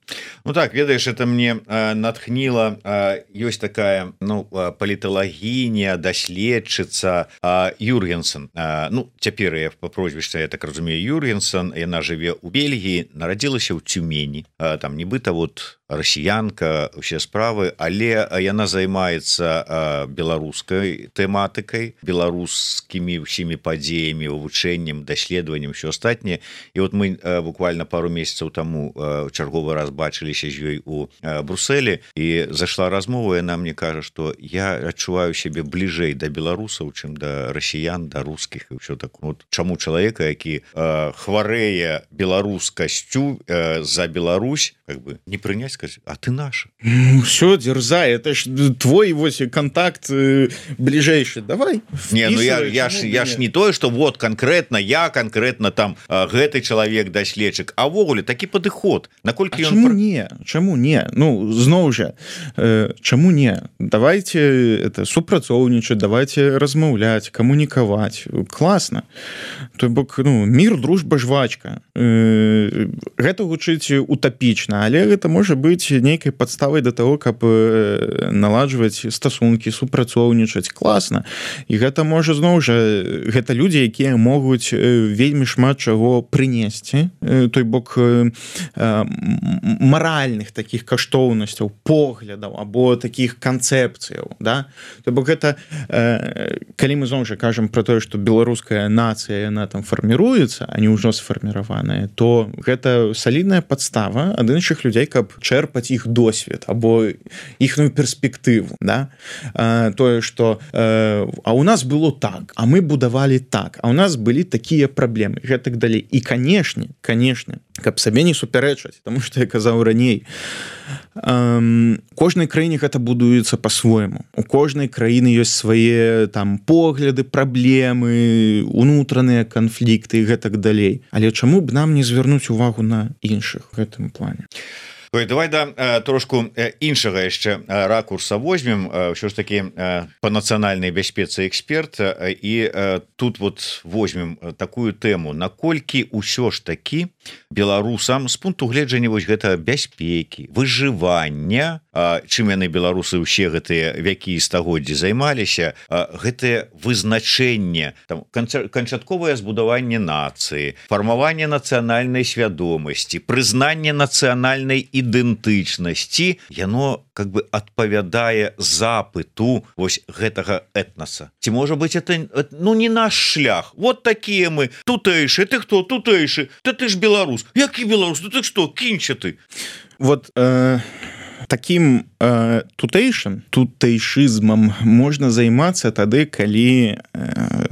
S1: Ну так, ведаеш, это мне э, натхніла, э, ёсць такая, ну, паліталагіня, даследчыца э, Юргенсен. Э, ну, цяпер я па прозвішча, я так разумею, Юргенсен, яна жыве ў Бельгіі, нарадзілася ў Цюмені, э, там нібыта вот расіянка, усе справы, але яна займаецца беларускай тэматыкай, беларускімі ўсімі падзеямі, вывучэннем, даследаваннем, усё астатняе. І вот мы буквально пару месяцаў таму чарговы раз бачыліся з ёй у Брусэлі, і зашла размова, яна мне кажа, што я адчуваю сябе бліжэй да беларусаў, чым да расіян, да рускіх і ўсё так. Вот чаму чалавека, які хварэе беларускасцю за Беларусь, как бы не прыняць, а ты наша.
S2: Ну, все, дерзай, это ж твой вось контакт э, ближайший, давай.
S1: Не, ну я, я, ж, я ж не тое, что вот конкретно я, конкретно там э, гэты чалавек даследчык, а ввогуле такі падыход. Наколькі
S2: а
S1: ён...
S2: чаму не? Чаму не? Ну, зноў жа, э, чаму не? Давайте это супрацоўнічаць, давайте размаўляць, камунікаваць. Класна. То бок, ну, мир, дружба, жвачка. Э, гэта гучыць утапічна, але гэта можа быць нейкай падставай да таго, каб наладжваць стасункі, супрацоўнічаць. Класна. І гэта можа, зноў жа, гэта людзі, якія могуць вельмі шмат чаго прынесці, той бок маральных такіх каштоўнасцяў, поглядаў або такіх канцэпцыяў, да? То бок гэта, калі мы зноў жа кажам пра тое, што беларуская нацыя, яна там фарміруецца, а не ўжо сфарміраваная, то гэта салідная падстава ад іншых людзей, каб чэрпаць іх досвед або іхную перспектыву, да? а, тое, што э, а у нас было так, а мы будавалі так, а у нас былі такія праблемы, гэтак далей. І канешне, канешне, каб сабе не супярэчаць, тому что я казаў раней, кожнай краіне гэта будуецца по-свойму, у кожнай краіны ёсць свае там погляды, праблемы, унутраныя канфлікты і гэтак далей, але чаму б нам не звярнуць увагу на іншых в гэтым плане?
S1: Ой, давай да трошку іншага яшчэ ракурса возьмем, ўсё ж таки по нацыянальнай бяспецы эксперт, і тут вот возьмем такую тэму, наколькі ўсё ж таки беларусам з пункту гледжання вось гэта бяспекі, выжывання, чым яны беларусы ўсе гэтыя вякі і стагоддзі займаліся, гэтае вызначэнне, там канчатковае збудаванне нацыі, фармаванне нацыянальнай свядомасці, прызнанне нацыянальнай ідэнтычнасці, яно как бы адпавядае запыту вось гэтага этнаса. Ці можа быць это ну не наш шлях, вот такія мы тутэйшы, ты хто тутэйшы, ты ты ж беларус, які беларус, ты што, кінча ты?
S2: Вот э, таким э, тутэйшым тутэйшызмам можна займацца тады, калі э,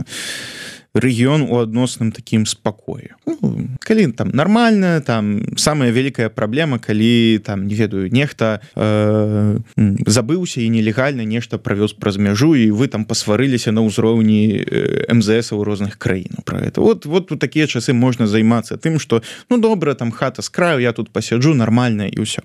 S2: рэгіён у адносным такім спакоі. Ну, калі там нармальна, там самая вялікая праблема, калі там не ведаю, нехта э, забыўся і нелегальна нешта правёз праз мяжу, і вы там пасварыліся на ўзроўні эм зэ эсаў розных краін про это. Вот вот у такія часы можна займацца тым, што ну добра, там хата з краю, я тут пасяджу нармальна і ўсё.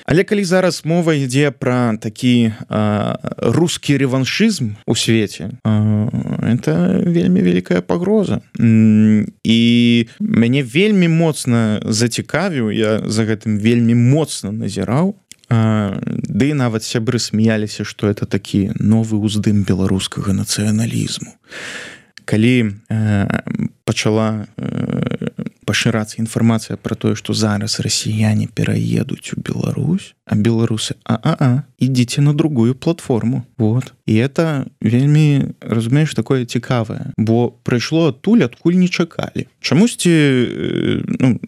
S2: Але калі зараз мова ідзе пра такі э, рускі рэваншызм у свеце, э, это вельмі вялікая пагроза. І мяне вельмі моцна зацікавіў, я за гэтым вельмі моцна назіраў, э, ды нават сябры смяяліся, што это такі новы ўздым беларускага нацыяналізму. Калі э, пачала э, пашырацца інфармацыя пра тое, што зараз расіяне пераедуць у Беларусь, а беларусы а-а-а, ідзіце на другую платформу. Вот. І это вельмі, разумееш, такое цікавае, бо прыйшло адтуль, адкуль не чакалі. Чамусьці, ну,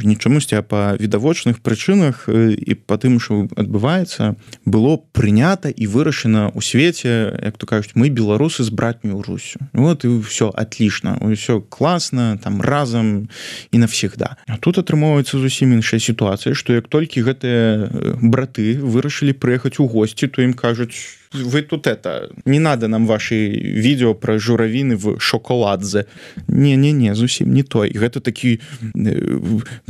S2: не чамусьці, а па відавочных прычынах і па тым, што адбываецца, было прынята і вырашана ў свеце, як то кажуць, мы беларусы з братнюю Руссю. Вот і ўсё атлічна, ўсё класна, там разам і навсегда. А тут атрымоўваецца зусім іншая сітуацыя, што як толькі гэтыя браты вырашылі прыехаць у госці, то ім кажуць: вы тут это, не надо нам ваши видео про журавины в шоколадзе. Не-не-не, зусім не то. І гэта такі,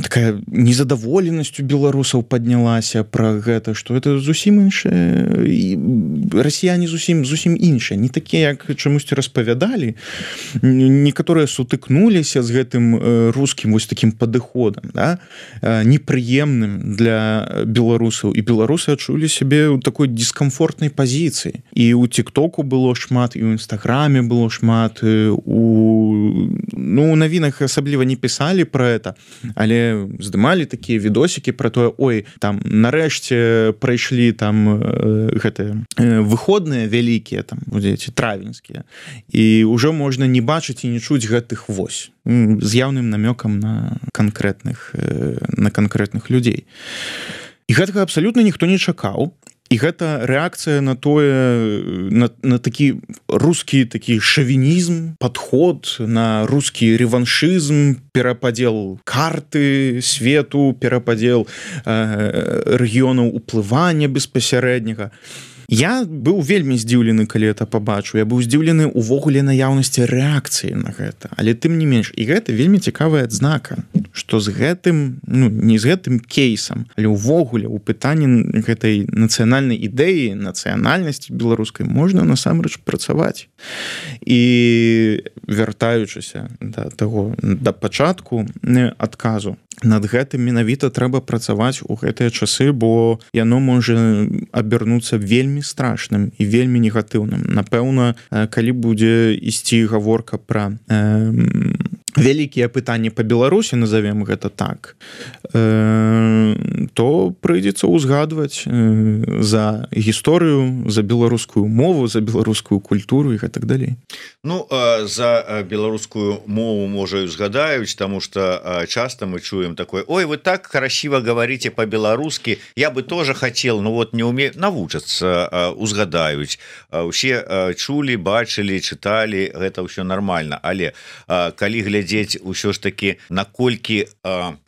S2: такая незадаволенасць у беларусаў паднялася пра гэта, што это зусім іншае. І расіяне зусім, зусім іншыя. Не такія, як чамусьці распавядалі. Некаторыя сутыкнуліся з гэтым рускім вось такім падыходам, да? Непрыемным для беларусаў. І беларусы адчулі сябе ў такой дискомфортнай пазіцыі. І у тиктоку было шмат, і ў інстаграме было шмат, у ну у навінах асабліва не пісалі про это, але здымалі такія відосікі про тое: ой, там нарэшце прайшлі там гэтыя выходныя вялікія, там ці травеньскія, і ўжо можна не бачыць і не чуць гэтых вось з яўным намёкам на канкрэтных на канкрэтных людзей. І гэтага абсалютна ніхто не чакаў. І гэта рэакцыя на тое, на, на такі рускі такі шавінізм, падход, на рускі рэваншызм, перападзел карты свету, перападзел э, рэгіёнаў уплывання беспасярэдняга. Я быў вельмі здзіўлены, калі это пабачыў. Я быў здзіўлены ўвогуле наяўнасці рэакцыі на гэта. Але тым не менш, і гэта вельмі цікавая адзнака, што з гэтым, ну, не з гэтым кейсам, але ўвогуле ў пытанні гэтай нацыянальнай ідэі, нацыянальнасці беларускай можна насамрэч працаваць. І вяртаючыся да таго, да пачатку адказу, над гэтым менавіта трэба працаваць у гэтыя часы, бо яно можа абернуцца вельмі страшным і вельмі негатыўным. Напэўна, калі будзе ісці гаворка пра э, вялікія пытанні па Беларусі, назовем гэта так, э, то прыйдзецца ўзгадваць э, за гісторыю, за беларускую мову, за беларускую культуру і гэтак далей.
S1: Ну, э, за беларускую мову, можа, і узгадаюць, таму што э, часта мы чуем такое: ой, вы так красиво говорите по-беларускі, я бы тоже хотел, но вот не умею, навучацца, узгадаюць. Усе чулі, бачылі, чыталі, гэта ўсё нормально. Але калі глядзець паглядзець ўсё ж таки наколькі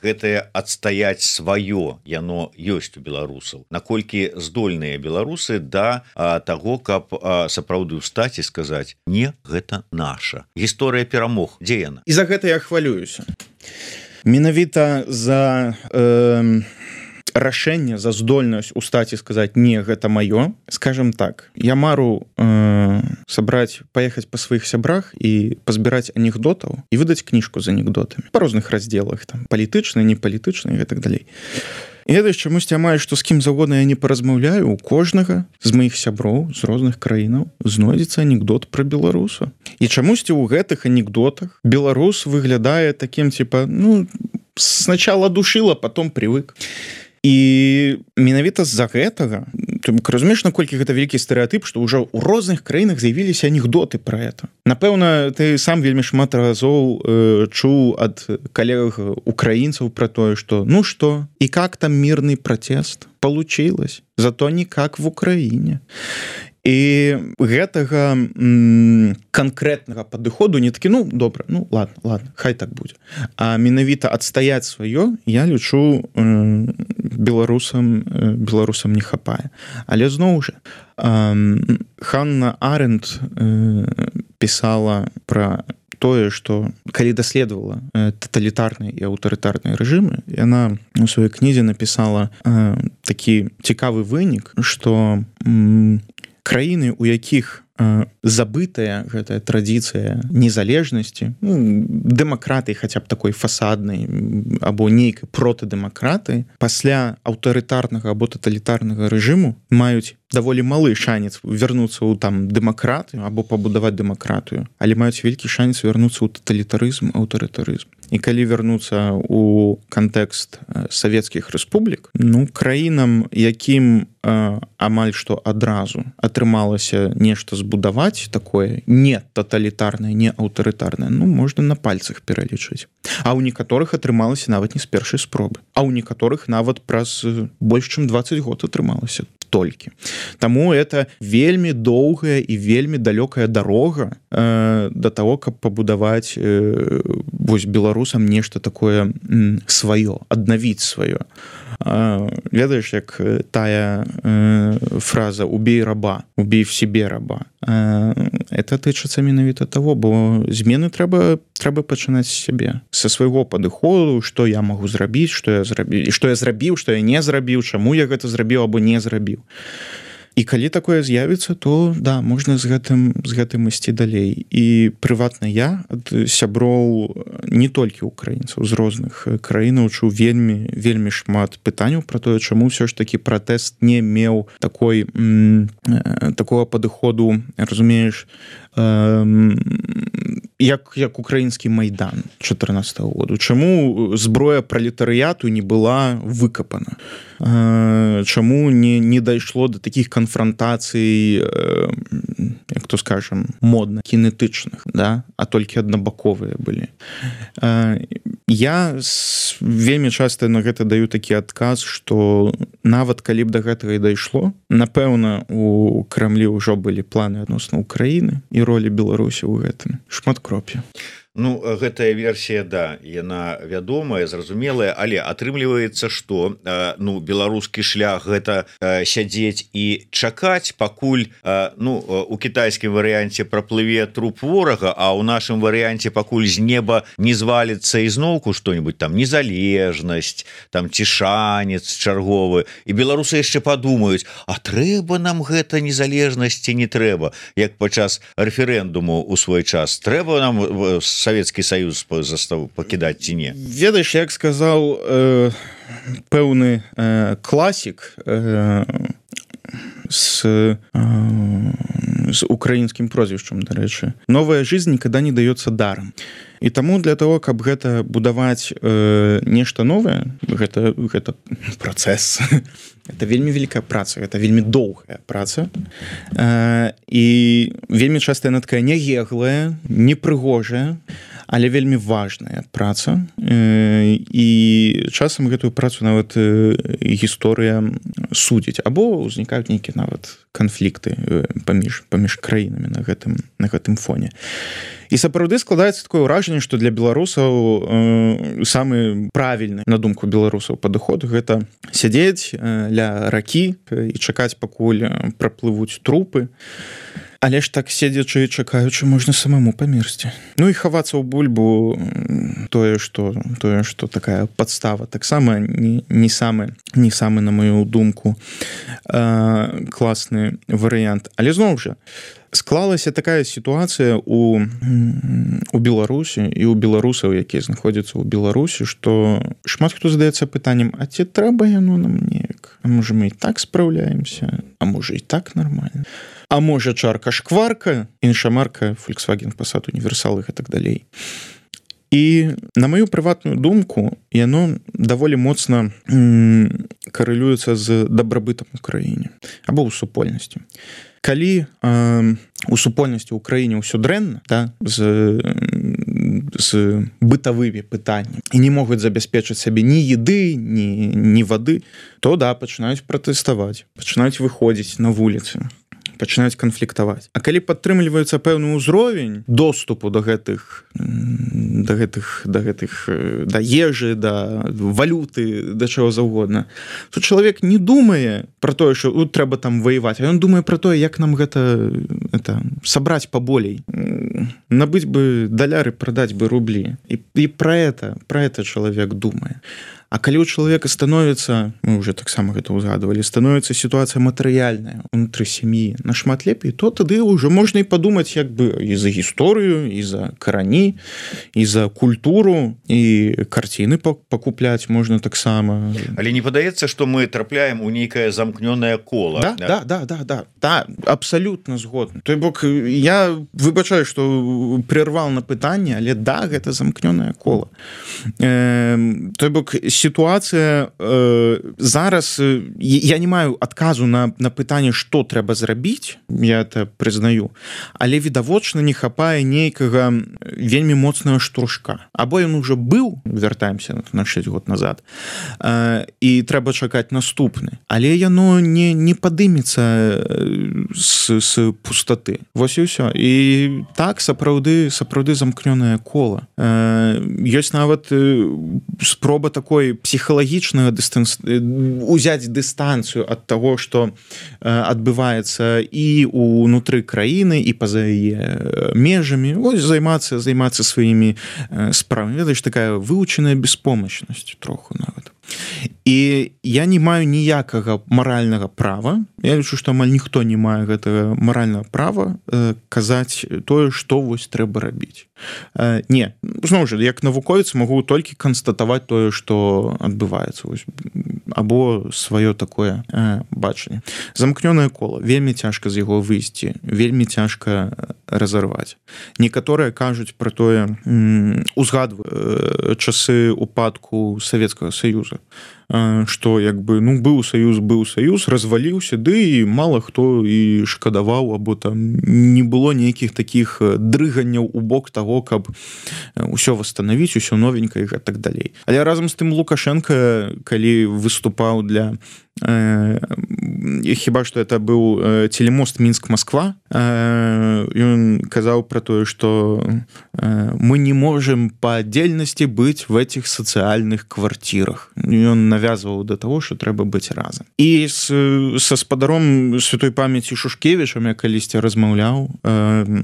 S1: гэтае адстаяць сваё яно ёсць у беларусаў, наколькі здольныя беларусы да а, таго, каб а, сапраўды ўстаць і сказаць: не, гэта наша гісторыя перамог, дзе яна?
S2: І за гэта я хвалююся. Менавіта за э, рашэнне, за здольнасць устаць і сказаць: не, гэта маё. Скажем так, я мару э, сабраць, паехаць па сваіх сябрах і пазбіраць анекдотаў і выдаць кніжку з анекдотамі па розных раздзелах, там палітычныя, непалітычныя і гэтак далей. І гэта чамусьці амаль што з кім заўгодна я не паразмаўляю, у кожнага з маіх сяброў з розных краінаў знойдзецца анекдот пра беларуса. І чамусьці ў гэтых анекдотах беларус выглядае такім типа, ну, сначала душила, потом привык. І менавіта з-за гэтага, ты разумееш, наколькі гэта вялікі стэрэатып, што ўжо ў розных краінах з'явіліся анекдоты пра это. Напэўна, ты сам вельмі шмат разоў э, чуў ад калег украінцаў пра тое, што ну што, і как там мирный протест? Получилось, зато не как в Украіне. І гэтага м, канкрэтнага падыходу не такі, ну, добра, ну, ладно, ладно, хай так будзе. А менавіта адстаяць сваё, я лічу, э, беларусам, э, беларусам не хапае. Але зноў жа, э, Ханна Аренд э, пісала пра тое, што калі даследавала э, таталітарныя і аўтарытарныя рэжымы, яна у сваёй кнізе напісала э, такі цікавы вынік, што м, краіны, у якіх э, забытая гэтая традыцыя незалежнасці, ну, дэмакратыі хаця б такой фасаднай або нейкай протыдэмакраты, пасля аўтарытарнага або таталітарнага рэжыму маюць даволі малы шанец вярнуцца ў там дэмакратыю або пабудаваць дэмакратыю, але маюць вялікі шанец вярнуцца ў таталітарызм, аўтарытарызм. І калі вярнуцца ў кантэкст савецкіх рэспублік, ну, краінам, якім э, амаль што адразу атрымалася нешта збудаваць такое не таталітарнае, не аўтарытарнае, ну, можна на пальцах пералічыць. А ў некаторых атрымалася нават не з першай спробы, а ў некаторых нават праз больш чым дваццаць год атрымалася толькі. Таму это вельмі доўгая і вельмі далёкая дарога э, да таго, каб пабудаваць э, вось беларусам нешта такое м, сваё, аднавіць сваё. Э, ведаеш, як тая э, фраза «убей раба», «убей в себе раба». Э, это тычыцца менавіта таго, бо змены трэба, трэба пачынаць з сябе, са свайго падыходу, што я магу зрабіць, што я зрабіў, і што я зрабіў, што я не зрабіў, чаму я гэта зрабіў або не зрабіў. І калі такое з'явіцца, то да, можна з гэтым, з гэтым ісці далей. І прыватна я ад сяброў не толькі украінцаў, з розных краінаў чуў вельмі, вельмі шмат пытанняў пра тое, чаму ўсё ж такі пратэст не меў такой, м, такого падыходу, разумееш, як, як украінскі майдан чатырнаццатага году. Чаму зброя пралетарыяту не была выкапана? Чаму не, не дайшло до такіх канфронтацый, як то скажем, модна, кінетычных, да? А толькі аднабаковыя былі. Я вельмі часта на гэта даю такі адказ, што нават калі б да гэтага і дайшло, напэўна, у Крамлі ўжо былі планы адносна Украіны і ролі Беларусі ў гэтым. Шматкроп'я.
S1: Ну, гэтая версія, да, яна вядомая, зразумелая, але атрымліваецца, што ну, беларускі шлях гэта сядзець і чакаць, пакуль ну, у кітайскім варыянце праплыве труп ворага, а ў нашым варыянце пакуль з неба не зваліцца ізноўку што-нибудь там, незалежнасць, там ці шанец чарговы, і беларусы яшчэ падумаюць, а трэба нам гэта незалежнасці, не трэба, як падчас рэферэндуму ў свой час, трэба нам Савецкі Саюз пакідаць ці не?
S2: Ведаеш, як сказаў э, пэўны э, класік э, с, э, с украінскім прозвішчам, дарэчы, новая жизнь никогда не дается даром. І таму для того, каб гэта будаваць э, нешта новае, гэта, гэта працэс. Это вельмі вялікая праца, гэта вельмі доўгая праца. Э, і вельмі часта яна такая нягеглая, непрыгожая, але вельмі важная праца. Э, і часам гэтую працу нават э, гісторыя судзіць або ўзнікаюць нейкія нават канфлікты паміж паміж краінамі на гэтым на гэтым фоне. І сапраўды складаецца такое ўражанне, што для беларусаў э, самы правільны, на думку беларусаў, падыход гэта сядзець э, ля ракі і чакаць, пакуль праплывуць трупы. Але ж так седзячы і чакаючы можна самому памерці. Ну і хавацца ў бульбу тое, што тое, што такая падстава таксама не, не самы не самы, на мою думку, э, класны варыянт. Але зноў жа склалася такая сітуацыя у, у Беларусі і ў беларусаў, якія знаходзяцца ў Беларусі, што шмат хто задаецца пытаннем: а ці трэба яно нам неяк? А можа мы і так спраўляемся? А можа і так нармальна? А можа чарка шкварка, інша марка Volkswagen, Passat, Універсал і так далей. І на маю прыватную думку, яно даволі моцна м, карэлюецца з дабрабытам у краіне або ў супольнасці. Калі э, у супольнасці ў краіне ўсё дрэнна, да, з, з бытавымі пытаннямі і не могуць забяспечыць сабе ні еды, ні, ні вады, то да, пачынаюць пратэставаць, пачынаюць выходзіць на вуліцы, пачынаюць канфліктаваць. А калі падтрымліваецца пэўны ўзровень доступу да гэтых да гэтых да гэтых да ежы, да валюты, да чаго заўгодна, то чалавек не думае пра тое, што трэба там ваяваць, а ён думае пра тое, як нам гэта это сабраць паболей, набыць бы даляры, прадаць бы рублі. І, і пра это пра это чалавек думае. А калі ў чалавека становіцца, мы ўжо таксама гэта ўзгадвалі, становіцца сітуацыя матэрыяльная ўнутры сям'і нашмат лепей, то тады ўжо можна і падумаць як бы і за гісторыю, і за карані, і за культуру, і карціны пакупляць можна таксама.
S1: Але не падаецца, што мы трапляем у нейкае замкнёнае кола.
S2: Да, да, да, да, да, да, абсалютна згодны. Той бок, я выбачаю, што прервал на пытанне, але да, гэта замкнёнае кола. Э, той бок, сітуацыя э, зараз э, я не маю адказу на, на пытанне, што трэба зрабіць, я это прызнаю, але відавочна не хапае нейкага вельмі моцнага штуршка. Або ён ужо быў, вяртаемся на шэсць год назад, э, і трэба чакаць наступны. Але яно не, не падымецца з, з пустаты. Вось і ўсё. І так, сапраўды, сапраўды замкнёнае кола. Э, ёсць нават э, спроба такой псіхалагічнага дыстанс... узяць дыстанцыю ад таго, што адбываецца і ўнутры краіны, і па-за яе межамі. Ось займацца, займацца сваімі справамі. Ведаеш, такая вывучаная беспомачнасць троху нават. І я не маю ніякага маральнага права, я лічу, што амаль ніхто не мае гэтага маральнага права э, казаць тое, што вось трэба рабіць. Э, не, зноў жа, як навуковец магу толькі канстатаваць тое, што адбываецца, вось, або сваё такое э, бачанне. Замкнёнае кола, вельмі цяжка з яго выйсці, вельмі цяжка разарваць. Некаторыя кажуць пра тое, узгадваюць э, часы упадку Савецкага Саюза, што як бы ну быў саюз быў саюз разваліўся, ды і мала хто і шкадаваў, або там не было нейкіх такіх дрыганняў у бок таго, каб усё восстановіць, усё новенькае і так далей. Але разам з тым Лукашенко, калі выступаў для э, хіба што это быў э, телемост Мінск-Москва, э, ён казаў пра тое, што э, мы не можем по отдельности быть в этих социальных квартирах. Ён навязваў да таго, што трэба быць разам. І з, са спадаром святой памяці Шушкевічам я калісьці размаўляў э,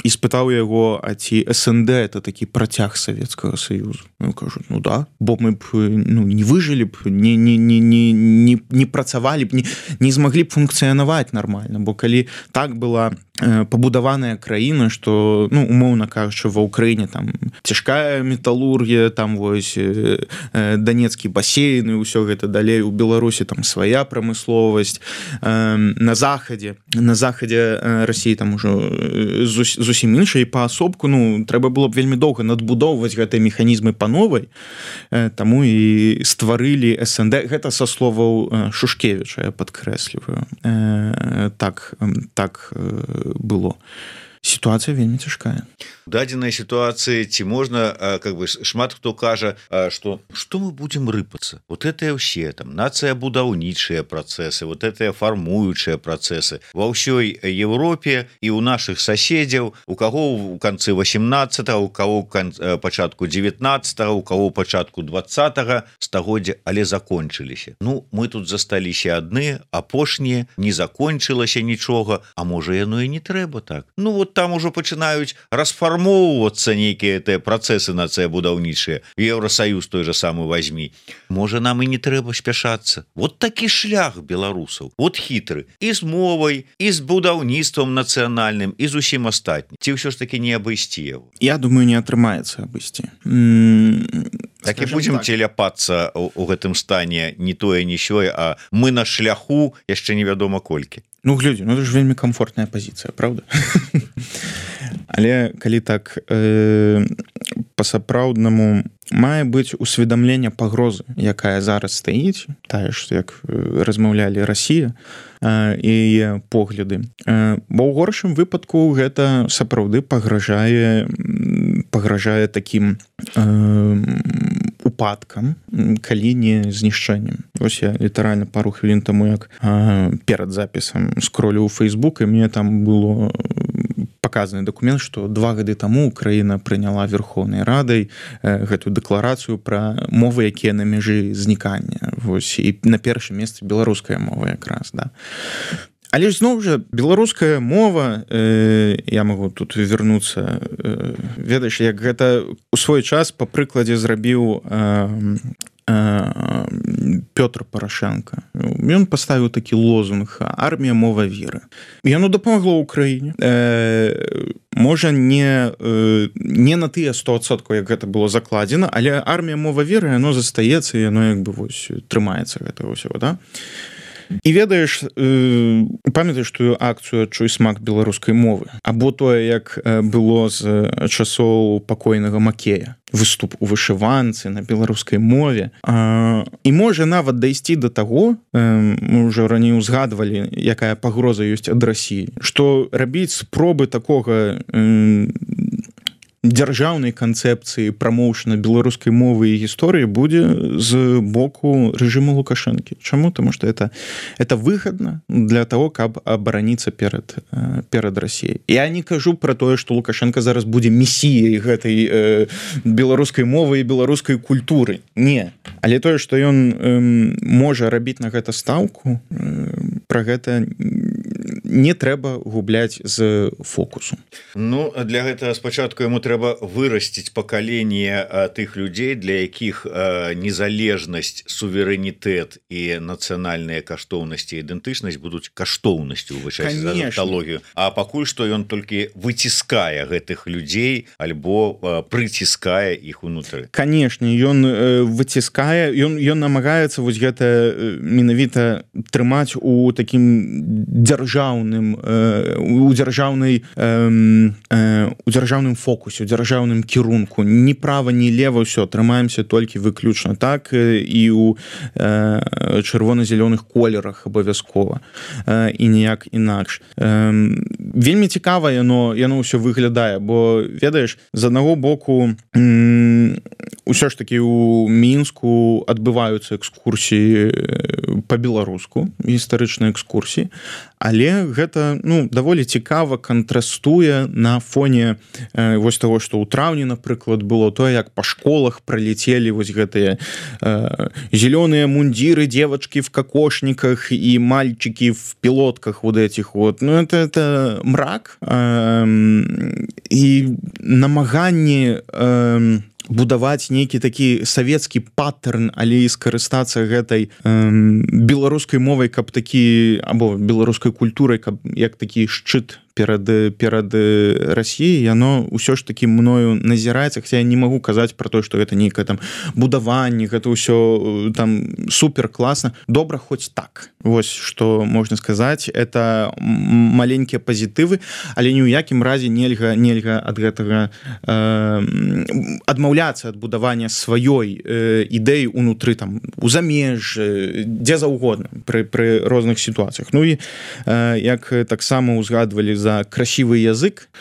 S2: і спытаў яго, а ці СНД это такі працяг Савецкага Саюзу. Ён кажу, ну да, бо мы б ну, не выжылі б, не, не, не, не, не, не працавалі б, не, не змаглі б функцыянаваць нармальна, бо калі так была э, пабудаваная краіна, што, ну, умоўна кажучы, ва Ўкраіне там цяжкая металургія, там вось э, э, Данецкі басейн і ўсё гэта далей, у Беларусі там свая прамысловасць, э, на захадзе, на захадзе э, Расіі там ужо э, зусім іншая, і паасобку, ну, трэба было б вельмі доўга надбудоўваць гэтыя механізмы па новай, э, таму і стварылі СНД, гэта са словаў э, Шушкевіча, я падкрэсліваю. Э, так, так э, было. сітуацыя вельмі цяжкая.
S1: Дадзенай сітуацыі ці можна как бы шмат хто кажа, что что мы будем рыпацца, вот это ўсе там нацыя будаўнічыя працэсы, вот это фармуючыя працэсы ва ўсёй Европе і у наших соседзяў, у каго у канцы восемнадцатого, у кого пачатку девятнадцатого, у кого пачатку двадцатого стагоддзя, але закончыліся. Ну мы тут засталіся адны, апошнія, не закончылася нічога, а можа яно і не трэба так. Ну вот там ужо пачынаюць расфармоўвацца нейкія гэтыя працэсы нацыябудаўнічыя. Еўросаюз той же самы возьми. Можа нам і не трэба спяшацца. Вот такі шлях беларусаў. Вот хітры. І з мовай, і з будаўніцтвам нацыянальным, і з усім астатнім. Ці ўсё ж таки не абысці яго?
S2: Я думаю, не атрымаецца абысці.
S1: Так і будзем так. Теляпацца у, у гэтым стане не тое, не сёе, а мы на шляху яшчэ невядома колькі.
S2: Ну, глядзі, ну это ж вельмі комфортная пазіцыя, правда? Але калі так э, па-сапраўднаму мае быць усведамленне пагрозы, якая зараз стаіць, тая ж, як размаўлялі Расія э, і яе погляды. Э, бо ў горшым выпадку гэта сапраўды пагражае пагражае такім э, упадкам, калі не знішчэннем. Вось я літаральна пару хвілін таму, як э, перад запісам скролю ў Facebook, і мне там было показаны документ, што два гады таму Украіна прыняла Верховнай Радай э, гэтую дэкларацыю пра мовы, якія на мяжы знікання. Вось, і на першым месцы беларуская мова якраз, да. Але ж зноў жа беларуская мова, э, я магу тут вярнуцца, э, ведаеш, як гэта у свой час па прыкладзе зрабіў э, Пётр Парашенко. Ён паставіў такі лозунг «Армія, мова, вера». Яно дапамагло Украіне. Э, можа, не, э, не на тыя сто адсоткаў, як гэта было закладзена, але армія, мова, вера, яно застаецца, і яно як бы вось трымаецца гэтага ўсяго, да? І ведаеш, э, памятаеш тую акцыю «Адчуй смак беларускай мовы», або тое, як было з часоў пакойнага Макея, выступ у вышыванцы на беларускай мове. А, і можа нават дайсці да таго, э, мы ўжо раней узгадвалі, якая пагроза ёсць ад Расіі, што рабіць спробы такога э, дзяржаўнай канцэпцыі прамоўшана беларускай мовы і гісторыі будзе з боку рэжыму Лукашэнкі. Чаму? Таму што это, это выгадна для того, каб абараніцца перад, перад Расіяй. Я не кажу пра тое, што Лукашенко зараз будзе месіяй гэтай э, беларускай мовы і беларускай культуры. Не. Але тое, што ён э, можа рабіць на гэта стаўку, э, пра гэта не трэба губляць з фокусу.
S1: Ну, для гэтага спачатку яму трэба вырасціць пакаленне тых людзей, для якіх незалежнасць, суверэнітэт і нацыянальныя каштоўнасці, ідэнтычнасць будуць каштоўнасцю ў вышэйшай анталогію. А пакуль што ён толькі выціскае гэтых людзей альбо прыціскае іх унутры.
S2: Канешне, ён выціскае, ён, ён намагаецца вось гэта менавіта трымаць у такім дзяржаўным у дзяржаўнай у дзяржаўным фокусе, у дзяржаўным кірунку. Ні права, ні лева, ўсё, трымаемся толькі выключна так, і ў чырвона-зялёных колерах абавязкова, і ніяк інакш. Вельмі цікава яно, яно ўсё выглядае, бо, ведаеш, з аднаго боку ўсё ж такі ў Мінску адбываюцца экскурсіі па-беларуску, гістарычныя экскурсіі, але гэта, ну, даволі цікава кантрастуе на фоне э, вось таго, што ў траўні, напрыклад, было тое, як па школах пралецелі вось гэтыя э, зелёныя мундиры, девочки в кокошниках і мальчики в пилотках вот этих вот. Ну, это, это мрак. Э, і намаганні э, будаваць нейкі такі савецкі паттерн, але і скарыстацца гэтай э, беларускай мовай, каб такі, або беларускай культурай, каб як такі шчыт перад, перад Расіяй, яно ўсё ж такі мною назіраецца, хаця я не магу казаць пра то, што гэта нейкае там будаванне, гэта ўсё там супер класна. Добра хоць так. Вось што можна сказаць, это маленькія пазітывы, але ні ў якім разе нельга нельга ад гэтага э, адмаўляцца ад будавання сваёй э, ідэі унутры там у замежжы, дзе заўгодна пры, пры розных сітуацыях. Ну і э, як таксама ўзгадвалі за красивый язык,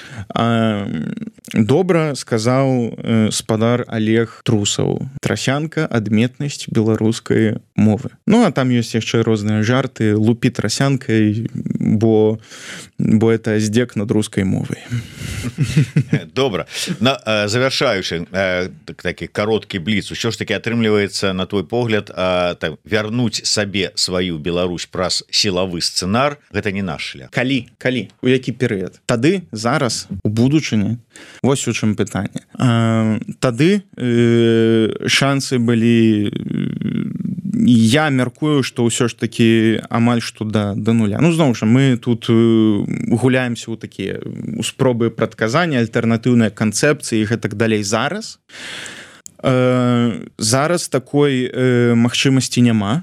S2: добра сказаў спадар Олег Трусаў: трасянка, адметнасць беларускай мовы. Ну а там ёсць яшчэ розныя жарты: лупі трасянкай, бо бо это здзек над рускай мовай.
S1: Добра, на завяршаючы такі кароткі бліц, усё ж таки атрымліваецца, на твой погляд, так, вярнуць сабе сваю Беларусь праз сілавы сцэнар — гэта не наш шлях.
S2: Калі калі у які перыяд? Тады, зараз, у будучыні? Вось у чым пытанне. Тады шансы былі, я мяркую, што ўсё ж такі амаль што да, да нуля. Ну, зноў жа, мы тут гуляемся ў такія спробы прадказання, альтэрнатыўныя канцэпцыі і гэтак далей. Зараз зараз такой магчымасці няма.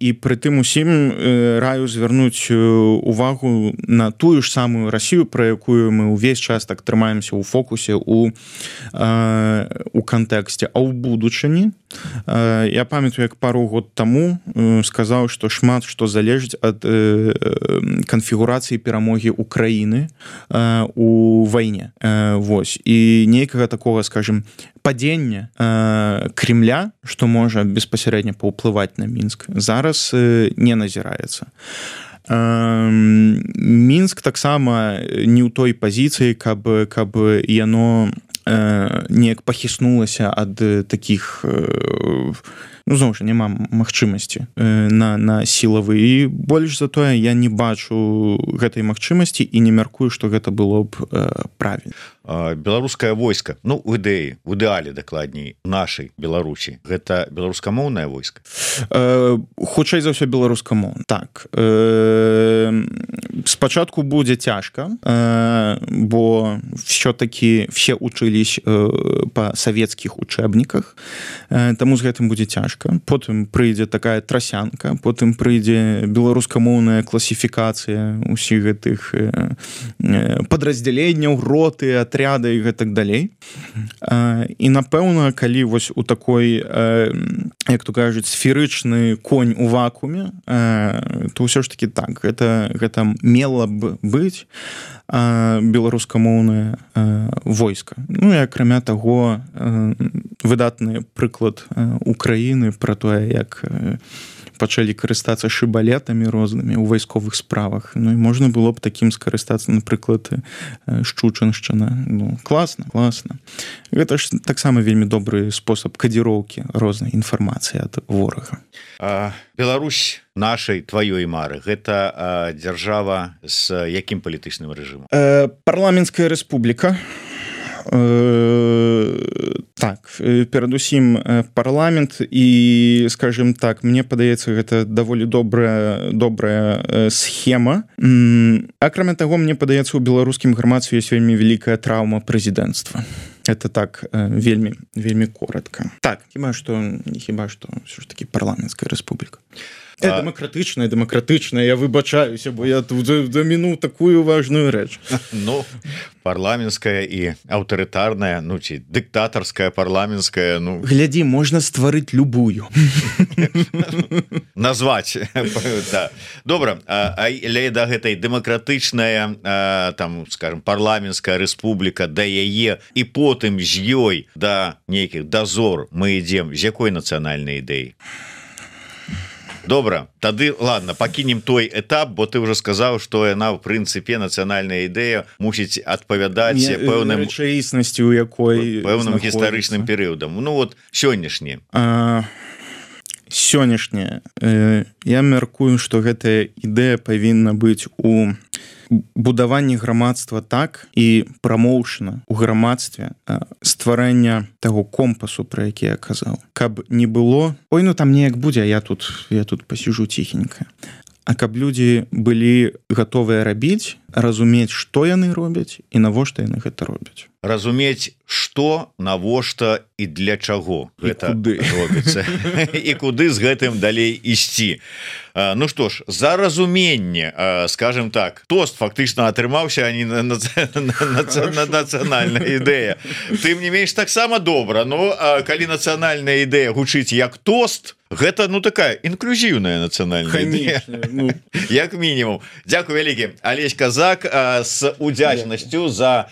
S2: І пры тым усім раю звярнуць увагу на тую ж самую Расію, пра якую мы ўвесь час так трымаемся ў фокусе, у, у кантэксце. А ў будучыні я памятаю, як пару год таму сказаў, што шмат што залежыць ад канфігурацыі перамогі Украіны у вайне. Вось. І нейкага такога, скажем, падзення Кремля, што можа беспасярэдна паўплываць на Мінск, зараз не назіраецца. Мінск таксама не ў той пазіцыі, каб, каб яно неяк пахіснулася ад такіх, ну, зноў жа, няма магчымасці на, на сілавы. І больш за тое, я не бачу гэтай магчымасці і не мяркую, што гэта было б правільна.
S1: Беларускае войска, ну, у ідэі, у ідэале, дакладней, нашай Беларусі, гэта беларускамоўнае войска?
S2: Хутчэй за ўсё беларускамоўнае. Так. Спачатку будзе цяжка, бо все-таки все учылись па савецкіх учэбніках, таму з гэтым будзе цяжка. Потым прыйдзе такая трасянка, потым прыйдзе беларускамоўная класіфікацыя усіх гэтых падраздзяленняў, роты, атряды і гэтак далей. І напэўна, калі вось у такой, як то кажуць, сферычны конь у вакууме, то ўсё ж таки так, гэта, гэта мела б быць беларускамоўнае войска. Ну і акрамя таго, выдатны прыклад Украіны пра тое, як пачалі карыстацца шыбалетамі рознымі ў вайсковых справах. Ну і можна было б такім скарыстацца, напрыклад, Шчучыншчына. Ну, класна, класна. Гэта ж таксама вельмі добры спосаб кадзіроўкі рознай інфармацыі ад ворага.
S1: А, Беларусь нашай, тваёй мары, гэта а, дзяржава з якім палітычным рэжымам?
S2: Э, парламенцкая рэспубліка. Так, перадусім парламент, і, скажем так, мне падаецца, гэта даволі добрая, добрая схема. Акрамя таго, мне падаецца, у беларускім грамадстве ёсць вельмі вялікая траўма прэзідэнцтва. Это так вельмі, вельмі коротка. Так, хіба што, хіба што ўсё ж такі парламенцкая рэспубліка. А... Дэмакратычная, дэмакратычная, я выбачаюся, бо я тут даміну такую важную рэч.
S1: Ну, парламенцкая і аўтарытарная, ну, ці дыктатарская, парламенцкая, ну...
S2: Глядзі, можна стварыць любую.
S1: Назваць, да. Добра, але да гэтай дэмакратычная, там, скажем, парламенцкая рэспубліка, да яе, і потым з ёй да нейкіх дазор мы ідзем, з якой нацыянальнай ідэі? Добра, тады, ладно, пакінем той этап, бо ты ўжо сказаў, што яна, в прынцыпе, нацыянальная ідэя мусіць адпавядаць пэўным
S2: рэчаіснасці, у якой
S1: пэўным гістарычным перыядам. Ну вот сённяшні.
S2: Сённяшняя. Я мяркую, што гэтая ідэя павінна быць у будаванні грамадства, так, і прамоўшана ў грамадстве стварэння таго компасу, пра які я казаў. Каб не было, ой, ну там неяк будзе, я тут, я тут пасіжу ціхенька. А каб людзі былі гатовыя рабіць, разумець, што яны робяць і навошта яны гэта робяць.
S1: Разумець, што, навошта і для чаго гэта робіцца. І куды з гэтым далей ісці. Ну што ж, за разуменне, скажем так, тост фактычна атрымаўся, а не нацыянальная ідэя. Тым не менш, таксама добра, но калі нацыянальная ідэя гучыць як тост, гэта, ну, такая інклюзіўная нацыянальная ідэя. Як мінімум. Дзякуй вялікі. Алесь Казак, Зак с удзячнасцю за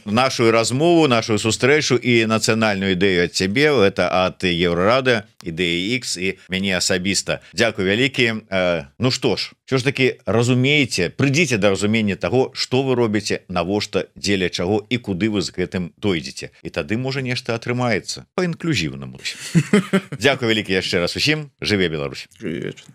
S1: нашу размову, нашу сустрэчу і нацыянальную ідэю ад цябе, это ад Еўрарады, ідэі X і мяне асабіста. Дзякуй вялікі. Ну што ж, що ж таки разумееце, прыйдзіце да разумення таго, што вы робіце, навошта, дзеля чаго і куды вы з гэтым дойдзеце. І тады можа нешта атрымаецца па інклюзіўнаму. Дзякуй вялікі яшчэ раз усім. Жыве Беларусь.
S2: Жыве вечна.